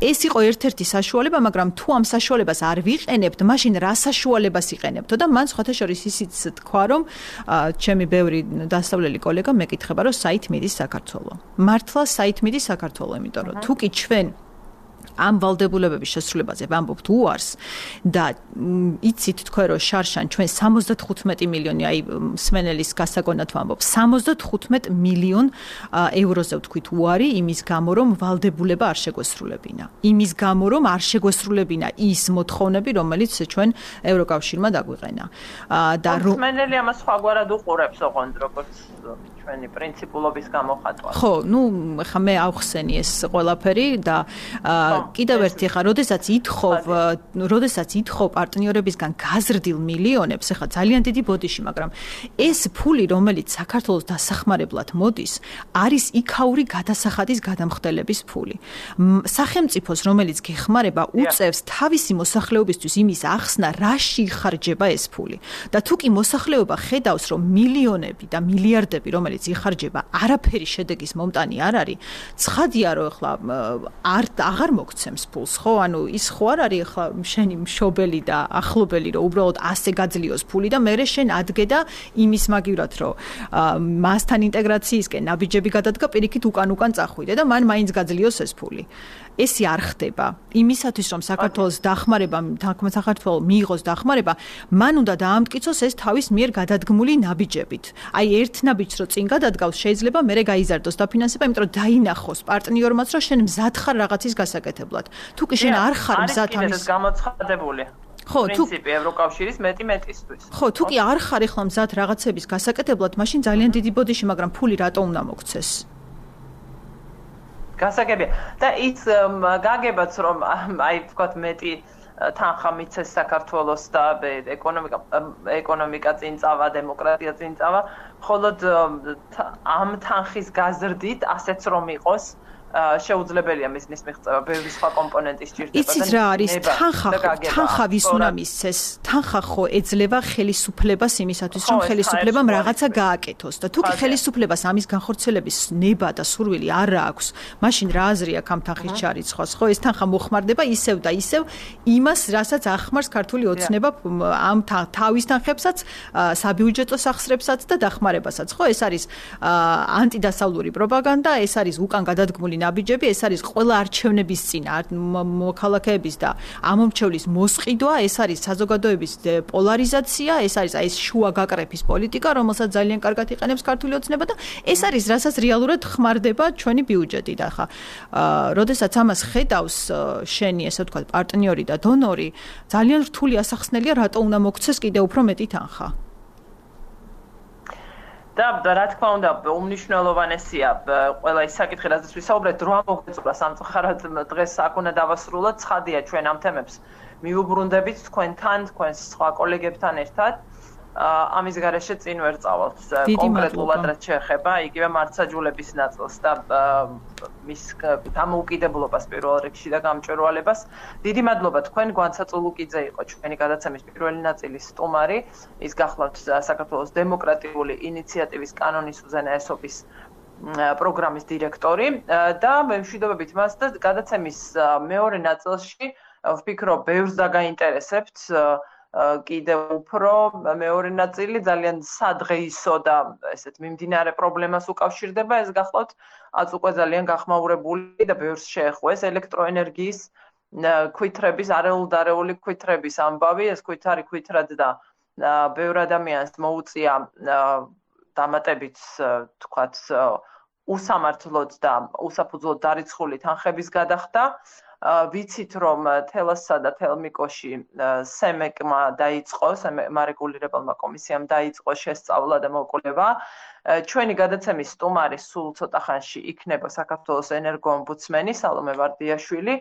ეს იყო ერთ-ერთი საშუალება, მაგრამ თუ ამ საშუალებას არ ვიყენებთ, მაშინ რა საშუალებას იყენებთო და მან სხვათა შორის ისიც თქვა რომ ჩემი ბევრი დასავლელი კოლეგა მეკითხება რომ საით მიდის საქართველო. მართლა საით მიდის საქართველო, იმიტომ რომ თუ კი ჩვენ ამ ვალდებულებების შესრულებაზე ვამბობთ უარს და იცით თქვენ რომ შარშან ჩვენ სამოცდათხუთმეტი მილიონი აი სმენელის გასაგონად ვამბობ სამოცდათხუთმეტ მილიონ ევროზე ვთქვით უარი იმის გამო რომ ვალდებულება არ შეგვესრულებინა. იმის გამო რომ არ შეგვესრულებინა ის მოთხოვნები რომელიც ჩვენ ევროკავშირმა დაგვიყენა. და სმენელი ამას სხვაგვარად უყურებს ოღონდ როგორც ჩვენი პრინციპულობის გამოხატვა. ხო, ну, ხა მე ავხსენი ეს ყველაფერი და კიდევ ერთი ხა, როდესაც ითხოვ, როდესაც ითხოვ პარტნიორებისგან გაზრდილ მილიონებს, ხა ძალიან დიდი ბოდიში, მაგრამ ეს ფული, რომელიც საქართველოს დასახმარებლად მოდის, არის იქაური გადასახადის გადამხდელების ფული. სახელმწიფოს, რომელიც გეხმარება, უწევს თავისი მოსახლეობისთვის იმის ახსნა, რაში იხარჯება ეს ფული. და თუ კი მოსახლეობა ხედავს, რომ მილიონები და მილიარდები, რომელიც იხარჯება, არაფერი შედეგის მომტანი არ არის, ცხადია, რომ ახლა არ აღარ მოგცემს ფულს, ხო? ანუ ის ხო არ არის ახლა შენი მშობელი და ახლობელი, რომ უბრალოდ ასე გაძლიოს ფული და მერე შენ ადგე და იმის მაგივრად, რომ მასთან ინტეგრაციისკენ ნაბიჯები გადადგა, პირიქით უკან-უკან წახვიდე და მან მაინც გაძლიოს ეს ფული. ესი არ ხდება. იმისათვის, რომ საქართველოს დახმარება, საქართველოს მიიღოს დახმარება, მან უნდა დაამტკიცოს ეს თავის მიერ გადადგმული ნაბიჯებით. აი ერთ ნაბიჯს რო წინ გადადგავს, შეიძლება მერე გაიზარდოს დაფინანსება, იმიტომ რომ დაინახოს პარტნიორმაც, რომ შენ მზად ხარ რაღაცის გასაკეთებლად. თუ კი შენ არ ხარ მზად ამის გამოცხადებული. ხო, პრინციპი ევროკავშირის მეტი მეტისთვის. ხო, თუ კი არ ხარ ახლა მზად რაღაცების გასაკეთებლად, მაშინ ძალიან დიდი ბოდიში, მაგრამ ფული რატო უნდა მოგცეს? გასაგებია. და ის გაგებაც რომ აი ვთქვათ მეტი თანხა მიცეს საქართველოს და ეკონომიკა ეკონომიკა წინ წავა, დემოკრატია წინ წავა, მხოლოდ ამ თანხის გაზრდით ასეც რომ იყოს შეუძლებელია მიზნის მიღწევა, ბევრი სხვა კომპონენტი სჭირდება. იცით რა არის თანხა, თანხა ვის უნდა მისცეს? თანხა ხო ეძლევა ხელისუფლებას იმისათვის, რომ ხელისუფლებამ რაღაცა გააკეთოს და თუ კი ხელისუფლებას ამის განხორციელების ნება და სურვილი არ აქვს, მაშინ რა აზრი აქვს ამ თანხის ჩარიცხვას? ხო, ეს თანხა მოხმარდება ისევ და ისევ იმას, რასაც ახმარს ქართული ოცნება ამ თავის თანხებსაც, საბიუჯეტო სახსრებსაც და დახმარებასაც. ხო, ეს არის ანტიდასავლური პროპაგანდა, ეს არის უკან გადადგმული ნაბიჯები, ეს არის ყველა არჩევნების წინ მოქალაქეების და ამომრჩევლის მოსყიდვა, ეს არის საზოგადოების პოლარიზაცია, ეს არის აი ეს შუა გაკრეფის პოლიტიკა, რომელსაც ძალიან კარგად იყენებს ქართული ოცნება და ეს არის რასაც რეალურად ხმარდება ჩვენი ბიუჯეტი და ხა როდესაც ამას ხედავს შენი ესე ვთქვათ პარტნიორი და დონორი ძალიან რთული ასახსნელია რატო უნდა მოგცეს კიდე უფრო მეტი თანხა და რა თქმა უნდა უმნიშვნელოვანესია ყველა ის საკითხი რაზეც ვისაუბრეთ რა მოგეწურა სამწუხაროდ დღეს აქ უნდა დავასრულოთ ცხადია ჩვენ ამ თემებს მიუბრუნდებით თქვენთან თქვენს სხვა კოლეგებთან ერთად ამის გარეშე წინ ვერ წავალთ კონკრეტულად რაც შეეხება იგივე მართლმსაჯულების ნაწილს და მის დამოუკიდებლობას პირველ რიგში და გამჭვირვალებას დიდი მადლობა თქვენ გვანცაწ ულუკიძე იყო ჩვენი გადაცემის პირველი ნაწილის სტუმარი ის გახლავთ საქართველოს დემოკრატიული ინიციატივის კანონის უზენაესობის პროგრამის დირექტორი და მემშვიდობებით მას და გადაცემის მეორე ნაწილში ვფიქრობ ბევრს დაგაინტერესებთ კიდევ უფრო მეორე ნაწილი ძალიან სადღეისო და ესეთ მიმდინარე პრობლემას უკავშირდება ეს გახლავთ აც უკვე ძალიან გახმაურებული და ბევრს შეეხოს ელექტროენერგიის ქვითრების არეულ-დარეული ქვითრების ამბავი ეს ქვითარი ქვითრად და ბევრ ადამიანს მოუწია დამატებით თქვათ უსამართლოდ და უსაფუძვლოდ დარიცხული თანხების გადახდა ვიცით რომ თელასსა და თელმიკოში სემეკმა დაიწყო სამარეგულირებელმა კომისიამ დაიწყო შესწავლა და მოკვლევა ჩვენი გადაცემის სტუმარი სულ ცოტა ხანში იქნება საქართველოს ენერგოომბუდსმენი სალომე ვარდიაშვილი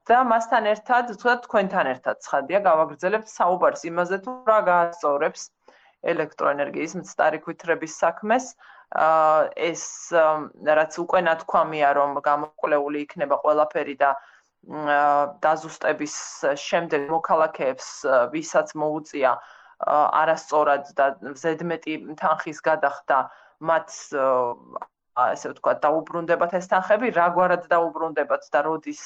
და მასთან ერთად თქვენთან ერთად ცხადია გავაგრძელებთ საუბარს იმაზე თუ რა გაასწორებს ელექტროენერგიის მცდარი ქვითრების საქმეს ეს რაც უკვე ნათქვამია რომ გამოკვლეული იქნება ყველაფერი და დაზუსტების შემდეგ მოქალაქეებს ვისაც მოუწია არასწორად და ზედმეტი თანხის გადახდა მათ ასე ვთქვათ დაუბრუნდებათ ეს თანხები რაგვარად დაუბრუნდებათ და როდის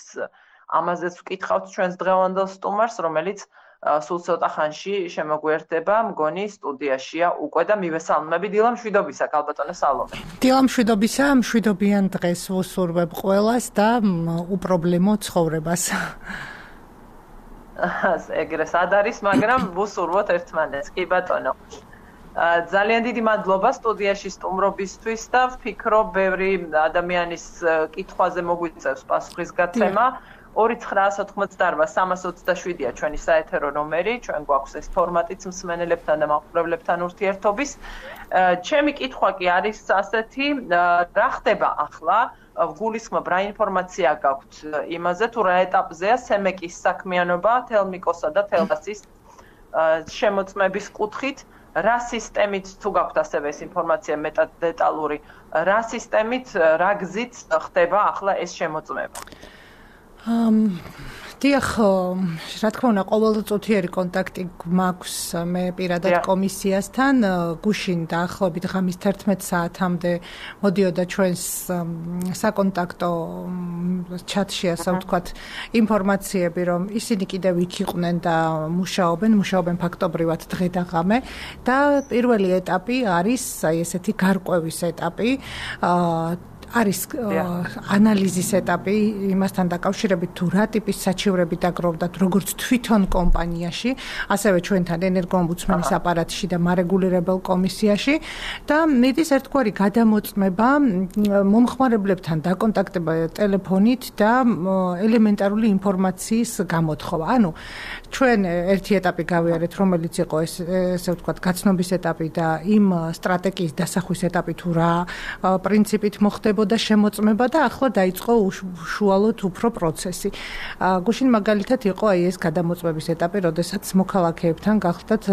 ამაზეც ვკითხავთ ჩვენს დღევანდელ სტუმარს რომელიც სულ ცოტა ხანში შემოგვიერთდება მგონი სტუდიაშია უკვე და მივესალმები დილა მშვიდობისა ქალბატონო სალომე დილა მშვიდობისა მშვიდობიან დღეს ვუსურვებ ყველას და უპრობლემო ცხოვრებას ეგრე სად არის მაგრამ ვუსურვოთ ერთმანეთს კი ბატონო ძალიან დიდი მადლობა სტუდიაში სტუმრობისთვის და ვფიქრობ ბევრი ადამიანის კითხვაზე მოგვიწევს პასუხისგაცემა ორი ცხრაას ოთხმოცდაარბა სამას ოცდაშვიდია ჩვენი საეთერო ნომერი, ჩვენ გვაქვს ეს ფორმატიც მსმენელებთან და მაყურებლებთან ურთიერთობის. ჩემი კითხვა კი არის ასეთი, რა ხდება ახლა? გულისხმობ რა ინფორმაცია გაქვთ იმაზე, თუ რა ეტაპზეა სემეკის საქმიანობა თელმიკოსა და თელასის შემოწმების კუთხით, რა სისტემით თუ გაქვთ ასევე ეს ინფორმაცია მეტად დეტალური, რა სისტემით, რა გზით ხდება ახლა ეს შემოწმება? დიახ, რა თქმა უნდა, ყოველწუთიერი კონტაქტი მაქვს მე პირადად კომისიასთან. გუშინ დაახლოებით ღამის თერთმეტ საათამდე მოდიოდა ჩვენს საკონტაქტო ჩატში, ასე ვთქვათ, ინფორმაციები, რომ ისინი კიდევ იქ იყვნენ და მუშაობენ, მუშაობენ ფაქტობრივად დღე და ღამე და პირველი ეტაპი არის აი ესეთი გარკვევის ეტაპი. არის ანალიზის ეტაპი იმასთან დაკავშირებით თუ რა ტიპის საჩივრები დაგროვდათ როგორც თვითონ კომპანიაში, ასევე ჩვენთან ენერგოომბუდსმენის აპარატში და მარეგულირებელ კომისიაში და მიდის ერთგვარი გადამოწმება მომხმარებლებთან დაკონტაქტება ტელეფონით და ელემენტარული ინფორმაციის გამოთხოვა. ანუ ჩვენ ერთი ეტაპი გავიარეთ, რომელიც იყო ეს ესე ვთქვათ გაცნობის ეტაპი და იმ სტრატეგიის დასახვის ეტაპი თუ რა პრინციპით მოხდება და შემოწმება და ახლა დაიწყო უშუალოდ უფრო პროცესი. გუშინ მაგალითად იყო აი ეს გადამოწმების ეტაპი, როდესაც მოქალაქეებთან გახლდათ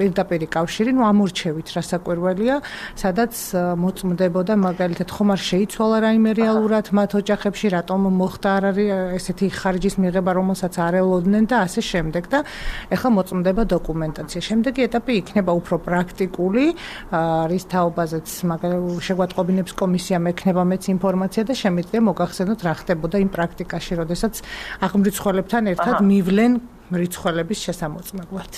პირდაპირი კავშირი, ნუ ამორჩევით რასაკვირველია, სადაც მოწმდებოდა მაგალითად ხომ არ შეიცვალა რაიმე რეალურად მათ ოჯახებში, რატომ მოხდა არ არის ესეთი ხარჯის მიღება, რომელსაც არ ელოდნენ და ასე შემდეგ და ეხლა მოწმდება დოკუმენტაცია. შემდეგი ეტაპი იქნება უფრო პრაქტიკული, რის თაობაზეც მაგალითად შეგვატყობინებს კომისია მექნება მეც ინფორმაცია და შემიძლია მოგახსენოთ რა ხდებოდა იმ პრაქტიკაში, როდესაც აღმრიცხველებთან ერთად მივლენ მრიცხველების შესამოწმებლად.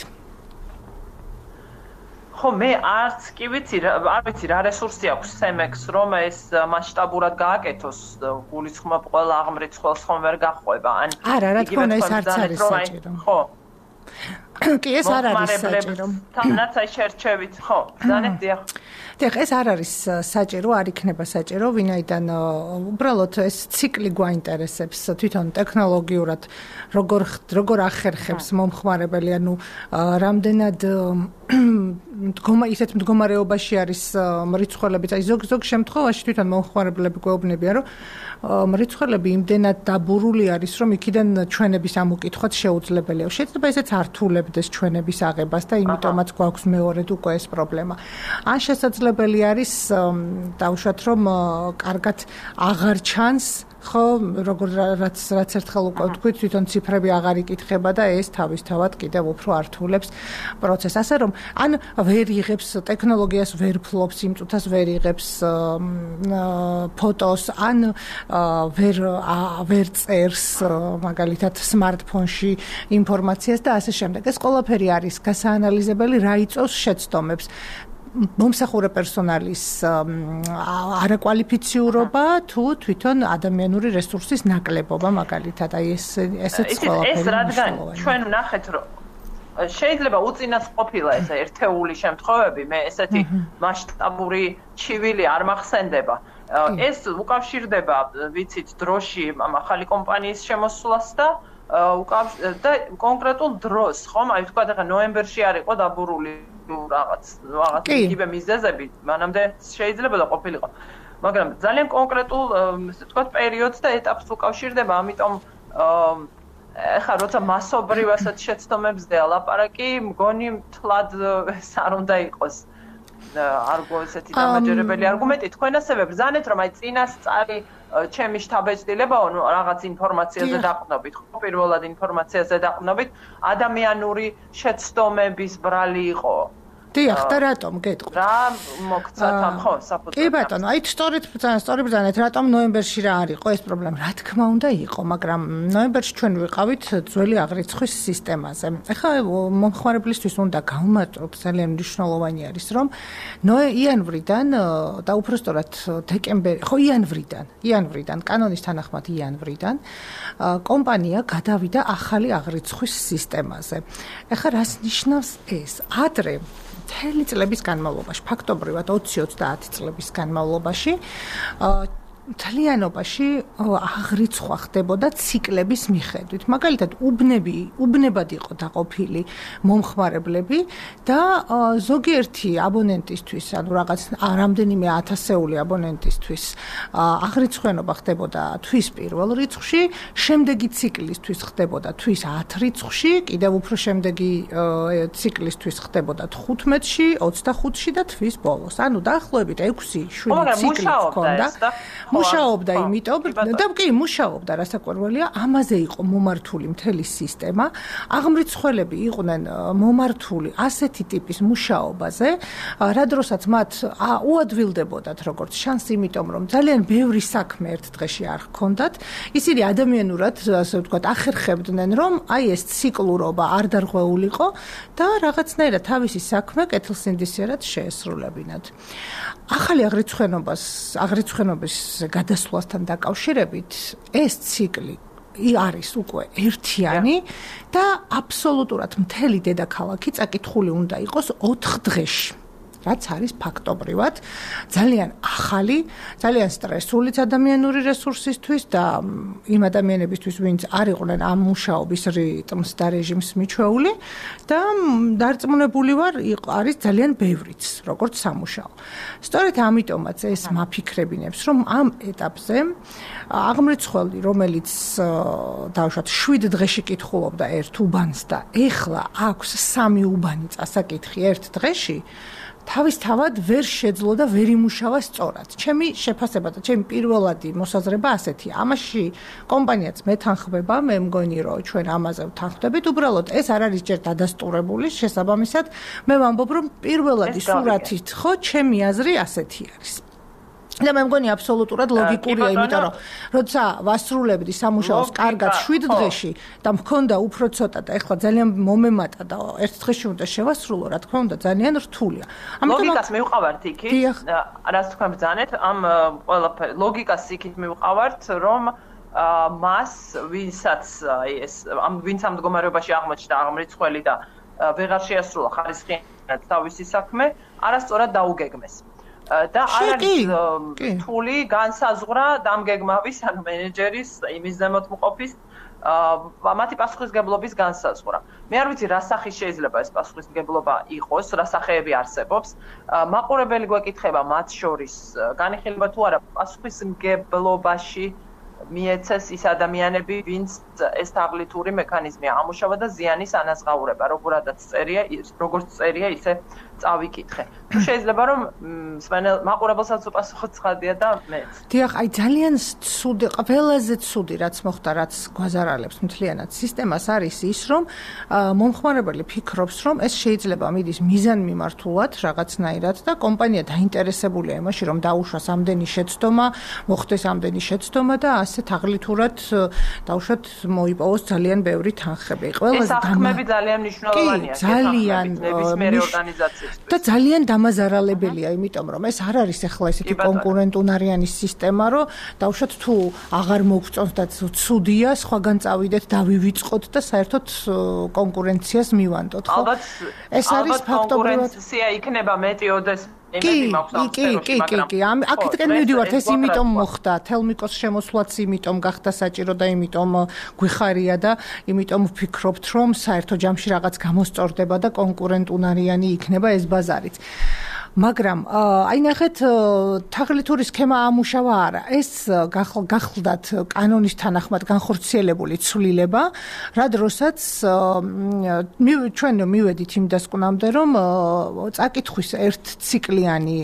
ხო მე არც კი ვიცი არ ვიცი რა რესურსი აქვს სემექს რომ ეს მასშტაბურად გააკეთოს გულისხმობ ყველა აღმრიცხველს ხომ ვერ გახვება ან არა რა თქმა უნდა ეს არც არის საჭირო ხო კი ეს არ არის საჭირო თანაც აი შერჩევით ხო ბრძანეთ დიახ დიახ ეს არ არის საჭირო არ იქნება საჭირო ვინაიდან უბრალოდ ეს ციკლი გვაინტერესებს თვითონ ტექნოლოგიურად როგორ როგორ ახერხებს მომხმარებელი ანუ რამდენად მდგომა ისეთ მდგომარეობაში არის მრიცხველები აი ზოგ ზოგ შემთხვევაში თვითონ მომხმარებლები გვეუბნებიან რომ მრიცხველები იმდენად დაბურული არის რომ იქიდან ჩვენების ამოკითხვაც შეუძლებელია შეიძლება ესეც ართულებდეს ჩვენების აღებას და იმიტომაც გვაქვს მეორედ უკვე ეს პრობლემა ან შესაძლებელი არის დავუშვათ რომ კარგად აღარ ჩანს ხო როგორ რაც რაც ერთხელ უკვე თქვით თვითონ ციფრები აღარ იკითხება და ეს თავისთავად კიდევ უფრო ართულებს პროცესს ასე რომ ან ვერ იღებს ტექნოლოგიას ვერ ფლობს იმ წუთას ვერ იღებს ფოტოს ან ვერ ვერ წერს მაგალითად სმარტფონში ინფორმაციას და ასე შემდეგ ეს ყველაფერი არის გასაანალიზებელი რა იწვევს შეცდომებს მომსახურე პერსონალის არაკვალიფიციურობა თუ თვითონ ადამიანური რესურსის ნაკლებობა მაგალითად აი ეს ესეც ყველაფერი ეს რადგან ჩვენ ვნახეთ რომ შეიძლება უწინას ყოფილა ეს ერთეული შემთხვევები მე ესეთი მასშტაბური ჩივილი არ მახსენდება ეს უკავშირდება ვიცით დროში ახალი კომპანიის შემოსვლას და და კონკრეტულ დროს ხომ აი თქვა და ნოემბერში არ იყო დაბურული რაღაც რაღაც იგივე მიზეზები მანამდე შეიძლება და ყოფილიყო მაგრამ ძალიან კონკრეტულ ესე ვთქვათ პერიოდს და ეტაპს უკავშირდება ამიტომ ეხლა როცა მასობრივასაც შეცდომებზე ალაპარაკი მგონი თლად ეს არ უნდა იყოს არგო ესეთი დამაჯერებელი არგუმენტი თქვენ ასევე ბრძანეთ რომ აი წინასწარი ჩემი შთაბეჭდილებაო რაღაც ინფორმაციაზე დაყრდნობით ხო პირველად ინფორმაციაზე დაყრდნობით ადამიანური შეცდომების ბრალი იყო დიახ და რატომ გეტყვი რა მოგცათ ამ ხო საფუძვლად კი ბატონო აი სწორედ სწორი ბრძანეთ რატომ ნოემბერში რა არ იყო ეს პრობლემა რა თქმა უნდა იყო მაგრამ ნოემბერში ჩვენ ვიყავით ძველი აღრიცხვის სისტემაზე ეხლა მომხმარებლისთვის უნდა გავუმატოთ ძალიან მნიშვნელოვანი არის რომ იანვრიდან და უпростоრად დეკემბერი ხო იანვრიდან იანვრიდან კანონის თანახმად იანვრიდან კომპანია გადავიდა ახალი აღრიცხვის სისტემაზე ეხლა რას ნიშნავს ეს ადრე მთელი წლების განმავლობაში ფაქტობრივად ოცი ოცდაათი წლების განმავლობაში მთლიანობაში აღრიცხვა ხდებოდა ციკლების მიხედვით. მაგალითად, უბნები, უბნებად იყო დაყოფილი მომხმარებლები და ზოგიერთი აბონენტისთვის, ანუ რაღაც რამდენიმე ათასეული აბონენტისთვის აღრიცხვიანობა ხდებოდა თვის პირველ რიცხვში, შემდეგი ციკლისთვის ხდებოდა თვის ათ რიცხვში, კიდევ უფრო შემდეგი ციკლისთვის ხდებოდა თხუთმეტში, ოცდახუთში და თვის ბოლოს. ანუ დაახლოებით ექვსი შვიდი ციკლი ჰქონდა. მუშაობდა იმიტომ და კი მუშაობდა რასაკვირველია ამაზე იყო მომართული მთელი სისტემა აღმრიცხველები იყვნენ მომართული ასეთი ტიპის მუშაობაზე რა დროსაც მათ უადვილდებოდათ როგორც შანსი იმიტომ რომ ძალიან ბევრი საქმე ერთ დღეში არ ჰქონდათ ისინი ადამიანურად ასე ვთქვათ ახერხებდნენ რომ აი ეს ციკლურობა არ დარღვეულიყო და რაღაცნაირად თავისი საქმე კეთილსინდისიერად შეესრულებინათ ახალი აღრიცხვენობას აღრიცხვენობის გადასვლასთან დაკავშირებით ეს ციკლი არის უკვე ერთიანი და აბსოლუტურად მთელი დედაქალაქი წაკითხული უნდა იყოს ოთხ დღეში რაც არის ფაქტობრივად ძალიან ახალი, ძალიან სტრესულიც ადამიანური რესურსისთვის და იმ ადამიანებისთვის, ვინც არ იყვნენ ამ მუშაობის რიტმს და რეჟიმს მიჩვეული და დარწმუნებული ვარ, არის ძალიან ბევრიც, როგორც სამუშაო. სწორედ ამიტომაც ეს მაფიქრებინებს, რომ ამ ეტაპზე აღმრიცხველი, რომელიც დავუშვათ შვიდ დღეში კითხულობდა ერთ უბანს და ეხლა აქვს სამი უბანი წასაკითხი ერთ დღეში თავისთავად ვერ შეძლო და ვერ იმუშავა სწორად. ჩემი შეფასება და ჩემი პირველადი მოსაზრება ასეთია. ამაში კომპანიაც მეთანხმება, მე მგონი რომ ჩვენ ამაზე ვთანხმდებით. უბრალოდ ეს არ არის ჯერ დადასტურებული, შესაბამისად, მე ვამბობ რომ პირველადი სურათით ხო ჩემი აზრი ასეთი არის. და მე მგონი აბსოლუტურად ლოგიკურია, იმიტომ რომ როცა ვასრულებდი სამუშაოს კარგად შვიდ დღეში და მქონდა უფრო ცოტა და ეხლა ძალიან მომემატა და ერთ დღეში უნდა შევასრულო, რა თქმა უნდა, ძალიან რთულია. ლოგიკას მივყავართ იქით, რაც თქვენ ბრძანეთ, ამ ყველაფერი ლოგიკას იქით მივყავართ, რომ მას ვინცაც ეს ამ ვინც ამ მდგომარეობაში აღმოჩნდა აღმრიცხველი და ვეღარ შეასრულა ხარისხიანად თავისი საქმე, არასწორად დაუგეგმეს. და არ არის რთული განსაზღვრა დამგეგმავის ან მენეჯერის იმის ზემოთმყოფის მათი პასუხისგებლობის განსაზღვრა. მე არ ვიცი რა სახის შეიძლება ეს პასუხისგებლობა იყოს, რა სახეები არსებობს. მაყურებელი გვეკითხება მათ შორის განიხილება თუ არა პასუხისგებლობაში მიეცეს ის ადამიანები, ვინც ეს თაღლითური მექანიზმი ამუშავა და ზიანის ანაზღაურება, როგორადაც წერია, როგორც წერია, ისე წავიკითხე. თუ შეიძლება რომ მაყურებელსაც უპასუხო ცხადია და მეც. დიახ, აი ძალიან ცუდი, ყველაზე ცუდი რაც მოხდა, რაც გვაზარალებს მთლიანად სისტემას არის ის, რომ მომხმარებელი ფიქრობს, რომ ეს შეიძლება მიდის მიზანმიმართულად რაღაცნაირად და კომპანია დაინტერესებულია იმაში, რომ დაუშვას ამდენი შეცდომა, მოხდეს ამდენი შეცდომა და ასე თაღლითურად დაუშვათ მოიპოვოს ძალიან ბევრი თანხები. ეს აღქმები ძალიან მნიშვნელოვანია ძალიან ნებისმიერი ორგანიზაციის და ძალიან დამაზარალებელია, იმიტომ რომ ეს არ არის ახლა ესეთი კონკურენტუნარიანი სისტემა, რომ დაუშვათ თუ აღარ მოგწონს და ცუდია, სხვაგან წავიდეთ, დავივიწყოთ და საერთოდ კონკურენციას მივანდოთ, ხო? ალბათ ეს არის ფაქტობრივად კონკურენცია იქნება მეტიოდეს კი, კი, კი, კი, კი. აქეთკენ მივდივართ, ეს იმიტომ მოხდა, თელმიკოს შემოსვლაც იმიტომ გახდა საჭირო და იმიტომ გვიხარია და იმიტომ ვფიქრობთ, რომ საერთო ჯამში რაღაც გამოსწორდება და კონკურენტუნარიანი იქნება ეს ბაზარიც. მაგრამ აი ნახეთ, თაღლითური სქემა ამუშავა არა. ეს გახლდათ კანონის თანახმად განხორციელებული ცვლილება, რა დროსაც ჩვენ მივედით იმ დასკვნამდე, რომ წაკითხვის ერთ ციკლიანი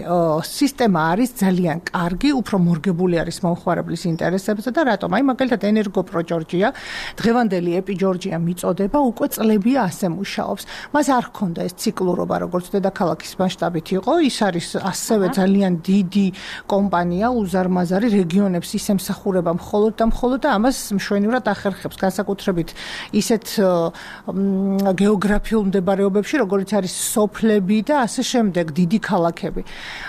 სისტემა არის ძალიან კარგი, უფრო მორგებული არის მომხმარებლის ინტერესებზე და რატომ? აი მაგალითად ენერგოპრო ჯორჯია, დღევანდელი ეპი ჯორჯია მიწოდება, უკვე წლებია ასე მუშაობს. მას არ ჰქონდა ეს ციკლურობა, როგორც დედაქალაქის მასშტაბით იყო. ის არის ასევე ძალიან დიდი კომპანია, უზარმაზარი რეგიონებს ის ემსახურება მხოლოდ და მხოლოდ და ამას მშვენივრად ახერხებს, განსაკუთრებით ისეთ გეოგრაფიულ მდებარეობებში, როგორც არის სოფლები და ასე შემდეგ, დიდი ქალაქები.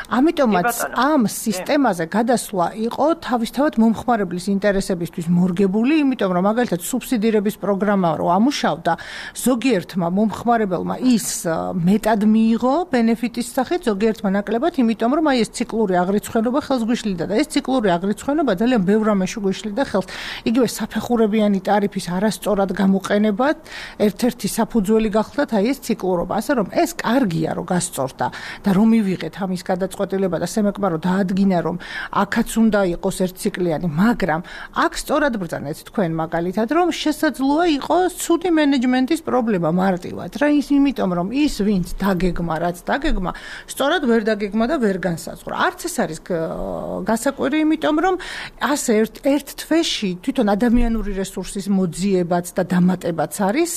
ამიტომაც ამ სისტემაზე გადასვლა იყო თავისთავად მომხმარებლის ინტერესებისთვის მორგებული, იმიტომ რომ მაგალითად სუბსიდირების პროგრამა რო ამუშავდა, ზოგიერთმა მომხმარებელმა ის მეტად მიიღო ბენეფიტის სახით, ზოგიერთმა ნაკლებად, იმიტომ რომ აი ეს ციკლური აღრიცხვენობა ხელს გვიშლიდა და ეს ციკლური აღრიცხვენობა ძალიან ბევრ რამეში გვიშლიდა ხელს. იგივე საფეხურებიანი ტარიფის არასწორად გამოყენება ერთ-ერთი საფუძველი გახლდათ აი ეს ციკლურობა, ასე რომ ეს კარგია რომ გასწორდა და რომ მივიღეთ ამის გადაწყვეტილება და სემეკმა რომ დაადგინა რომ აქაც უნდა იყოს ერთციკლიანი, მაგრამ აქ სწორად ბრძანეთ თქვენ მაგალითად რომ შესაძლოა იყოს ცუდი მენეჯმენტის პრობლემა მარტივად რა ის იმიტომ რომ ის ვინც დაგეგმა რაც დაგეგმა სწორად ვერ დაგეგმა და ვერ განსაზღვრა. არც ეს არის გასაკვირი, იმიტომ რომ ასე ერთ ერთ თვეში თვითონ ადამიანური რესურსის მოძიებაც და დამატებაც არის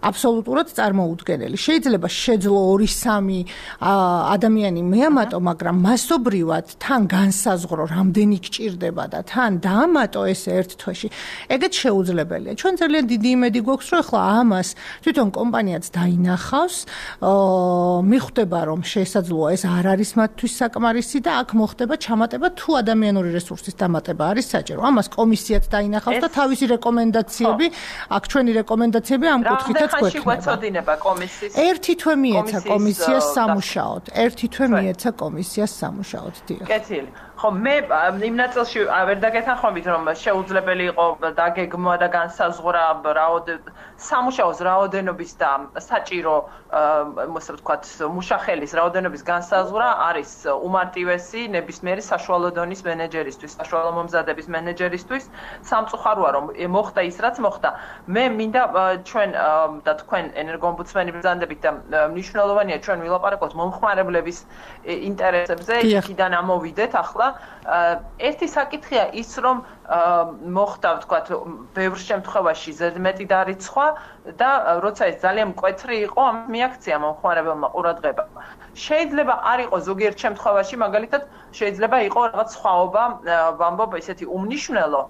აბსოლუტურად წარმოუდგენელი. შეიძლება შეძლო ორი სამი ადამიანი მეამატო, მაგრამ მასობრივად თან განსაზღვრო რამდენი გჭირდება და თან დაამატო ეს ერთ თვეში. ეგეც შეუძლებელია. ჩვენ ძალიან დიდი იმედი გვაქვს, რომ ახლა ამას თვითონ კომპანიაც დაინახავს, მიხვდება რომ შესაძლოა ეს არ არის მათთვის საკმარისი და აქ მოხდება ჩამატება თუ ადამიანური რესურსის დამატება არის საჭირო. ამას კომისიაც დაინახავს და თავისი რეკომენდაციები, აქ ჩვენი რეკომენდაციები ამ კუთხითაც გვექნება. ერთი თვე მიეცა კომისიას სამუშაოდ. ერთი თვე მიეცა კომისიას სამუშაოდ. დიახ. კეთილი. ხო, მე იმ ნაწილში ვერ დაგეთანხმებით, რომ შეუძლებელი იყო დაგეგმვა და განსაზღვრა სამუშაოს რაოდენობის და საჭირო, ასე ვთქვათ, მუშახელის რაოდენობის განსაზღვრა არის უმარტივესი ნებისმიერი საშუალო დონის მენეჯერისთვის, საშუალო მომზადების მენეჯერისთვის. სამწუხაროა, რომ მოხდა ის, რაც მოხდა. მე მინდა ჩვენ და თქვენ ენერგოომბუდსმენი ბრძანდებით და მნიშვნელოვანია ჩვენ ვილაპარაკოთ მომხმარებლების ინტერესებზე, იქიდან ამოვიდეთ ახლა ერთი საკითხია ის, რომ მოხდა, ვთქვათ, ბევრ შემთხვევაში ზედმეტი დარიცხვა და როცა ეს ძალიან მკვეთრი იყო, ამ მიაქცია მომხმარებელმა ყურადღება. შეიძლება არ იყოს ზოგიერთ შემთხვევაში, მაგალითად, შეიძლება იყოს რაღაც სხვაობა, ვამბობ, ესეთი უმნიშვნელო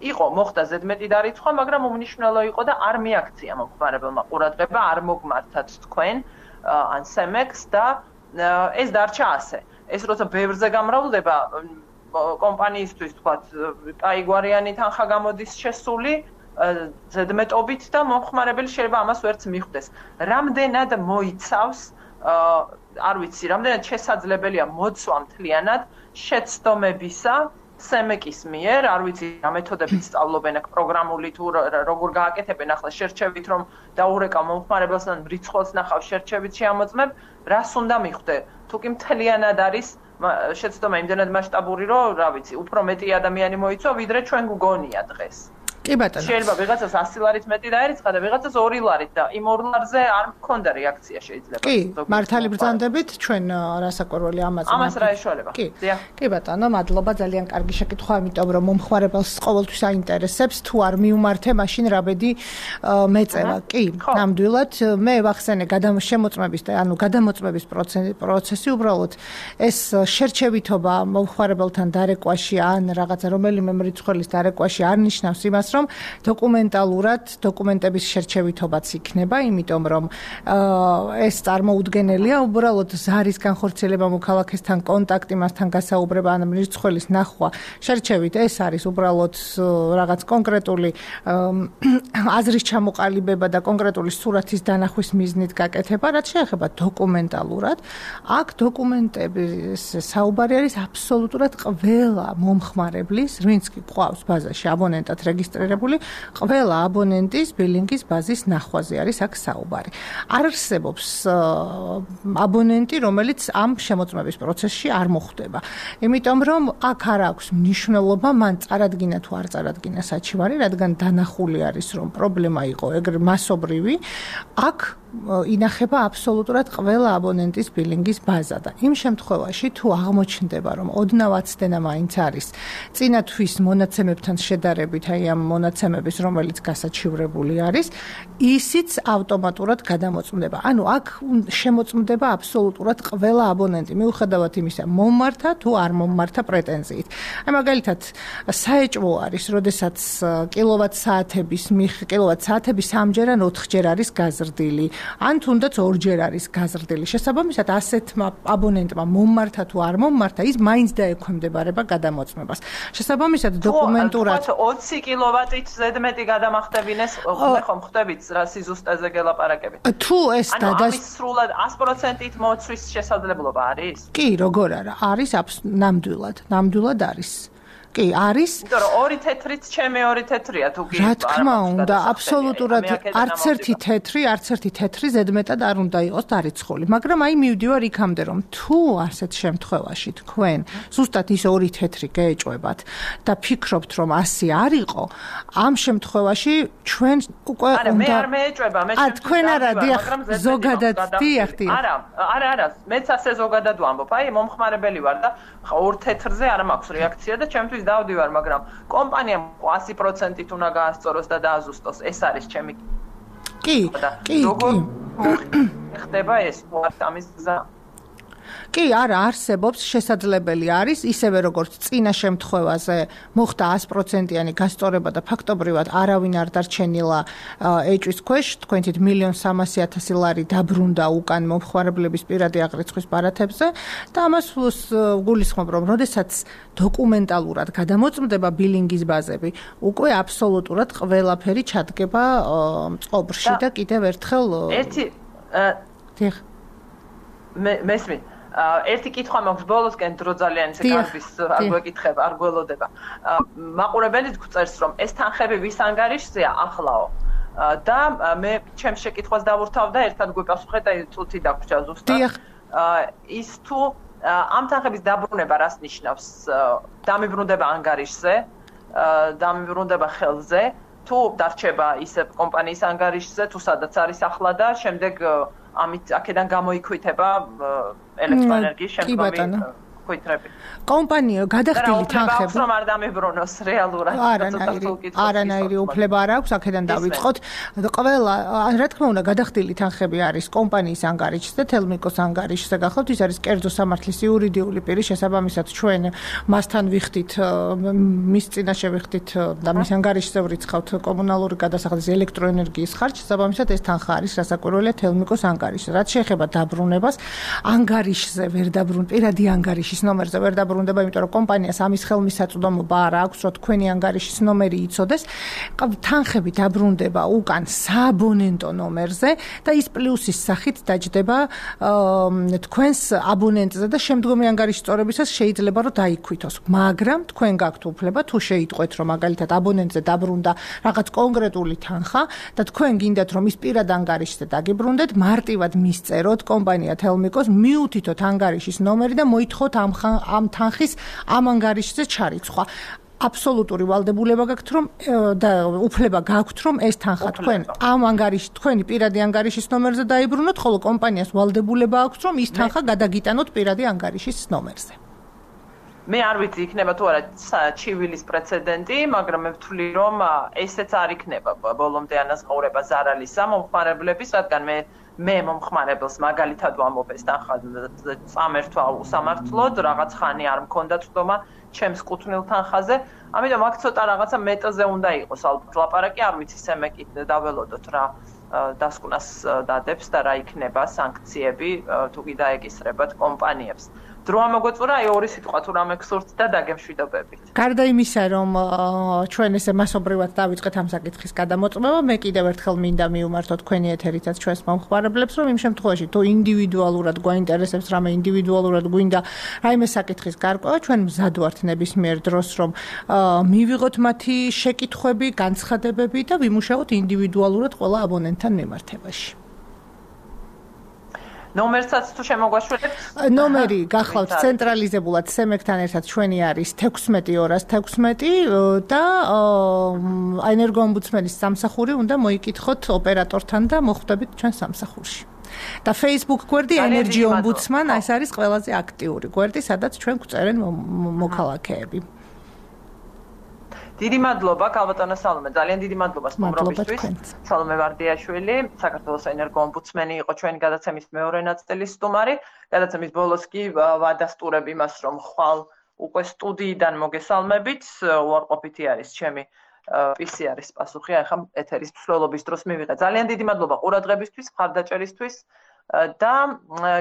იყო, მოხდა ზედმეტი დარიცხვა, მაგრამ უმნიშვნელო იყო და არ მიაქცია მომხმარებელმა ყურადღება, არ მოგმართათ თქვენ ან სემექს და ეს დარჩა ასე. ეს როცა ბევრზე გამრავლდება კომპანიისთვის, თქვათ, კაიგვარიანი თანხა გამოდის შესული ზედმეტობით და მომხმარებელი შეიძლება ამას ვერც მიხვდეს. რამდენად მოიცავს, არ ვიცი, რამდენად შესაძლებელია მოცვა მთლიანად შეცდომებისა სემეკის მიერ, არ ვიცი, რა მეთოდებით სწავლობენ აქ პროგრამული თუ როგორ გააკეთებენ ახლა შერჩევით, რომ დაურეკავ მომხმარებელს ან რიცხვს ნახავ შერჩევით შეამოწმებ, რას უნდა მიხვდე? თუ კი მთლიანად არის შეცდომა იმდენად მასშტაბური, რომ, რა ვიცი, უფრო მეტი ადამიანი მოიცვა, ვიდრე ჩვენ გგონია დღეს. კი ბატონო. შეიძლება ვიღაცას ასი ლარით მეტი დაერიცხა და ვიღაცას ორი ლარით და იმ ორ ლარზე არ მქონდა რეაქცია შეიძლება. კი, მართალი ბრძანდებით ჩვენ რასაკვირველი ამაზე. ამას რა ეშველება? კი. კი ბატონო, მადლობა, ძალიან კარგი შეკითხვა, იმიტომ რომ მომხმარებელს ყოველთვის აინტერესებს თუ არ მიუმართე მაშინ რაბედი მეწევა. კი, ნამდვილად მე ვახსენე გადამოწმების და ანუ გადამოწმების პროცესი უბრალოდ ეს შერჩევითობა მომხმარებელთან დარეკვაში ან რაღაცა რომელიმე მრიცხველის დარეკვაში არ ნიშნავს იმას რომ დოკუმენტალურად დოკუმენტების შერჩევითობაც იქნება, იმიტომ რომ ეს წარმოუდგენელია, უბრალოდ ზარის განხორციელება მოქალაქესთან კონტაქტი, მასთან გასაუბრება ან მრიცხველის ნახვა შერჩევით, ეს არის უბრალოდ რაღაც კონკრეტული აზრის ჩამოყალიბება და კონკრეტული სურათის დანახვის მიზნით გაკეთება, რაც შეეხება დოკუმენტალურად. აქ დოკუმენტების საუბარი არის აბსოლუტურად ყველა მომხმარებლის, ვინც კი ყავს ბაზაში აბონენტად რეგისტრირებული ყველა აბონენტის ბილინგის ბაზის ნახვაზე არის აქ საუბარი. არ არსებობს აბონენტი, რომელიც ამ შემოწმების პროცესში არ მოხვდება. იმიტომ რომ აქ არ აქვს მნიშვნელობა მან წარადგინა თუ არ წარადგინა საჩივარი, რადგან დანახული არის რომ პრობლემა იყო ეგრე მასობრივი, აქ ინახება აბსოლუტურად ყველა აბონენტის ბილინგის ბაზა და იმ შემთხვევაში თუ აღმოჩნდება რომ ოდნავ აცდენა მაინც არის წინა თვის მონაცემებთან შედარებით, აი ამ მონაცემების რომელიც გასაჩივრებული არის, ისიც ავტომატურად გადამოწმდება. ანუ აქ შემოწმდება აბსოლუტურად ყველა აბონენტი, მიუხედავად იმისა, მომმართა თუ არ მომმართა პრეტენზიით. აი მაგალითად, საეჭვო არის, როდესაც კილოვატ-საათების მიხ კილოვატ-საათები სამჯერ ან ოთხჯერ არის გაზრდილი. ან თუნდაც ორჯერ არის გაზრდილი. შესაბამისად, ასეთმა აბონენტმა მომმართა თუ არ მომმართა, ის მაინც დაექვემდებარება გადამოწმებას. შესაბამისად, დოკუმენტურად ოცი კილოვატით ზედმეტი გადამახდებინეს, ხომ ხვდებით რა სიზუსტეზე გელაპარაკებით. თუ ეს დადას ამის სრულად ას პროცენტით მოცვის შესაძლებლობა არის? კი, როგორ არა, არის ნამდვილად, ნამდვილად არის. კი, არის. იმიტომ რომ ორი თეთრიც ჩემი ორი თეთრია თუ კი. რა თქმა უნდა, აბსოლუტურად არც ერთი თეთრი, არც ერთი თეთრი ზედმეტად არ უნდა იყოს დარიცხული, მაგრამ აი მივდივარ იქამდე რომ თუ ასეთ შემთხვევაში თქვენ ზუსტად ის ორი თეთრი გეეჭვებათ და ფიქრობთ რომ ასე არ იყო, ამ შემთხვევაში ჩვენ უკვე უნდა არა, მე არ მეეჭვება, მე შემთხვევაში. Α, თქვენ არა, დიახ, ზოგადად, დიახ, დიახ. არა, არა, არა, მეც ასე ზოგადად ვამბობ. აი, მომხმარებელი ვარ და ორ თეთრზე არ მაქვს რეაქცია და ჩემთვის დავდივარ, მაგრამ კომპანიამ ასი პროცენტით უნდა გაასწოროს და დააზუსტოს. ეს არის ჩემი. კი, კი, კი. ხდება ეს ამის გზა. კი, არა, არსებობს, შესაძლებელი არის, ისევე როგორც წინა შემთხვევაზე მოხდა ას პროცენტიანი გასწორება და ფაქტობრივად არავინ არ დარჩენილა ეჭვის ქვეშ, თქვენ თვით მილიონ სამასი ათასი ლარი დაბრუნდა უკან მომხმარებლების პირადი აღრიცხვის ბარათებზე და ამას გულისხმობ, რომ როდესაც დოკუმენტალურად გადამოწმდება ბილინგის ბაზები, უკვე აბსოლუტურად ყველაფერი ჩადგება წყობრში და კიდევ ერთხელ ერთი დიახ მე მესმის ერთი კითხვა მაქვს ბოლოსკენ დრო ძალიან ისე კარგის არ გვეკითხება, არ გველოდება. მაყურებელიც გვწერს რომ ეს თანხები ვის ანგარიშზეა ახლაო და მე ჩემს შეკითხვას დავურთავ და ერთად გვეკავსხეთ და წუთი დაგვრჩა ზუსტად. ის თუ ამ თანხების დაბრუნება რას ნიშნავს? დამიბრუნდება ანგარიშზე, დამიბრუნდება ხელზე, თუ დარჩება ისე კომპანიის ანგარიშზე, თუ სადაც არის ახლა და შემდეგ ამით აქედან გამოიქვითება ელექტროენერგიის შემდგომი ხვითრები. კომპანია გადახდილი თანხები რომ არ დამებრუნოს რეალურად. არანაირი არანაირი უფლება არ აქვს, აქედან დავიწყოთ. ყველა, რა თქმა უნდა, გადახდილი თანხები არის კომპანიის ანგარიშზე, თელმიკოს ანგარიშზე გახლავთ, ის არის კერძო სამართლის იურიდიული პირი, შესაბამისად ჩვენ მასთან ვიხდით, მის წინაშე ვიხდით და მის ანგარიშზე ვრიცხავთ კომუნალური გადასახადის ელექტროენერგიის ხარჯს, შესაბამისად ეს თანხა არის რასაკვირველია თელმიკოს ანგარიშზე. რაც შეეხება დაბრუნებას, ანგარიშზე ვერ დაბრუნ, პირადი ანგარიშის ნომერზე ვერ დაბრუნდება, იმიტომ რომ კომპანიას ამის ხელმისაწვდომობა არ აქვს, რომ თქვენი ანგარიშის ნომერი იცოდეს. თანხები დაბრუნდება უკან სააბონენტო ნომერზე და ის პლუსის სახით დაჯდება თქვენს აბონენტზე და შემდგომი ანგარიშის სწორებისას შეიძლება რომ დაიქვითოს. მაგრამ თქვენ გაქვთ უფლება თუ შეიტყვეთ რომ მაგალითად აბონენტზე დაბრუნდა რაღაც კონკრეტული თანხა და თქვენ გინდათ რომ ის პირად ანგარიშზე დაგიბრუნდეთ, მარტივად მისწეროთ კომპანია თელმიკოს, მიუთითოთ ანგარიშის ნომერი და მოითხოვოთ ამ ამ თანხის ამ ანგარიშზე ჩარიცხვა. აბსოლუტური ვალდებულება გაქვთ რომ და უფლება გაქვთ რომ ეს თანხა თქვენ ამ ანგარიშ თქვენი პირადი ანგარიშის ნომერზე დაიბრუნოთ, ხოლო კომპანიას ვალდებულება აქვს რომ ის თანხა გადაგიტანოთ პირადი ანგარიშის ნომერზე. მე არ ვიცი იქნება თუ არა ჩივილის პრეცედენტი, მაგრამ მე ვთვლი რომ ესეც არ იქნება ბოლომდე ანაზღაურება ზარალისა მომხმარებლების, რადგან მე მე მომხმარებელს მაგალითად ვამბობ ეს თანხა წამერთვა უსამართლოდ, რაღაც ხანი არ მქონდა წვდომა ჩემს კუთვნილ თანხაზე, ამიტომ აქ ცოტა რაღაცა მეტაზე უნდა იყოს ალბათ ლაპარაკი, არ ვიცი სემეკით დაველოდოთ რა დასკვნას დადებს და რა იქნება სანქციები თუ კი დაეკისრებათ კომპანიებს. დრო ამოგვეწურა აი ორი სიტყვა თუ რამე გსურთ და დაგემშვიდობებით. გარდა იმისა, რომ ჩვენ ესე მასობრივად დავიწყეთ ამ საკითხის გადამოწმება, მე კიდევ ერთხელ მინდა მივმართო თქვენი ეთერითაც ჩვენს მომხმარებლებს, რომ იმ შემთხვევაში თუ ინდივიდუალურად გვაინტერესებს რამე ინდივიდუალურად გვინდა რაიმე საკითხის გარკვევა, ჩვენ მზად ვართ ნებისმიერ დროს, რომ მივიღოთ მათი შეკითხვები, განცხადებები და ვიმუშაოთ ინდივიდუალურად ყველა აბონენტთან მიმართებაში. ნომერსაც თუ შემოგვაშველებთ? ნომერი გახლავთ ცენტრალიზებულად სემეკთან ერთად ჩვენი არის თექვსმეტი ორას თექვსმეტი და ენერგოომბუდსმენის სამსახური უნდა მოიკითხოთ ოპერატორთან და მოხვდებით ჩვენ სამსახურში. და Facebook გვერდი Energy Ombudsman, ეს არის ყველაზე აქტიური გვერდი, სადაც ჩვენ გვწერენ მოქალაქეები. დიდი მადლობა ქალბატონო სალომე, ძალიან დიდი მადლობა სტუმრობისთვის. სალომე ვარდიაშვილი, საქართველოს ენერგოომბუდსმენი იყო ჩვენი გადაცემის მეორე ნაწილის სტუმარი. გადაცემის ბოლოს კი ვადასტურებ იმას, რომ ხვალ უკვე სტუდიიდან მოგესალმებით, უარყოფითი არის ჩემი პი სი არის პასუხი, ახლა ეთერის მსვლელობის დროს მივიღე. ძალიან დიდი მადლობა ყურადღებისთვის, მხარდაჭერისთვის და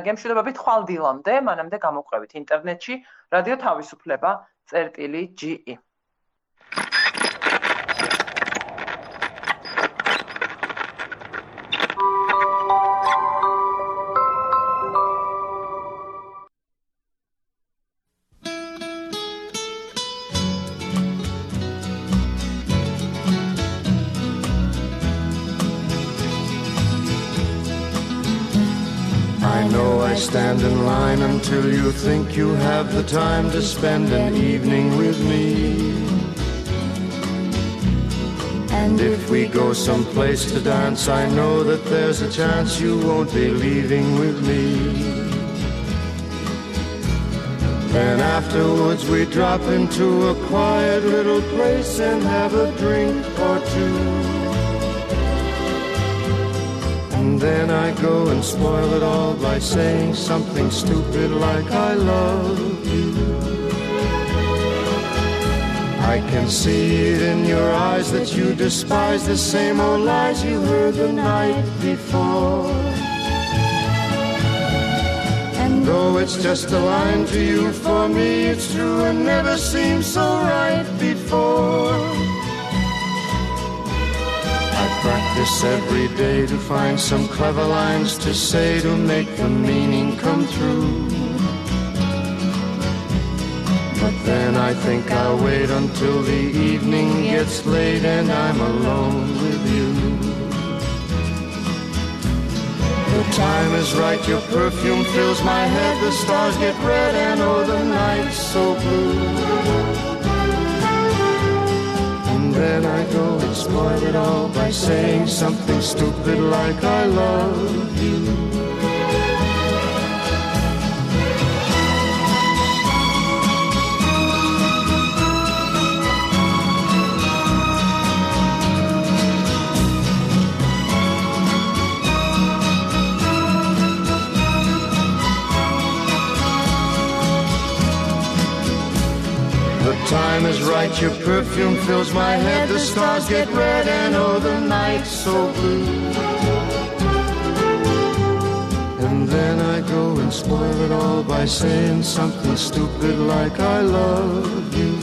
გემშვიდობებით ხვალ დილამდე, მანამდე გამოგვყევით ინტერნეტში რადიო თავისუფლება წერტილი ჯი ი. Stand in line until you think you have the time to spend an evening with me. And if we go someplace to dance, I know that there's a chance you won't be leaving with me. Then afterwards we drop into a quiet little place and have a drink or two. And then I go and spoil it all by saying something stupid like I love you. I can see it in your eyes that you despise the same old lies you heard the night before. And though it's just a line to you, for me it's true and never seemed so right before. Practice every day to find some clever lines to say to make the meaning come true. But then I think I'll wait until the evening gets late and I'm alone with you. The time is right, your perfume fills my head, the stars get red and oh the night's so blue. Then I go and spoil it all by saying something stupid like I love you. bright, your perfume fills my head. The stars get red and oh, the night's so blue. And then I go and spoil it all by saying something stupid like I love you.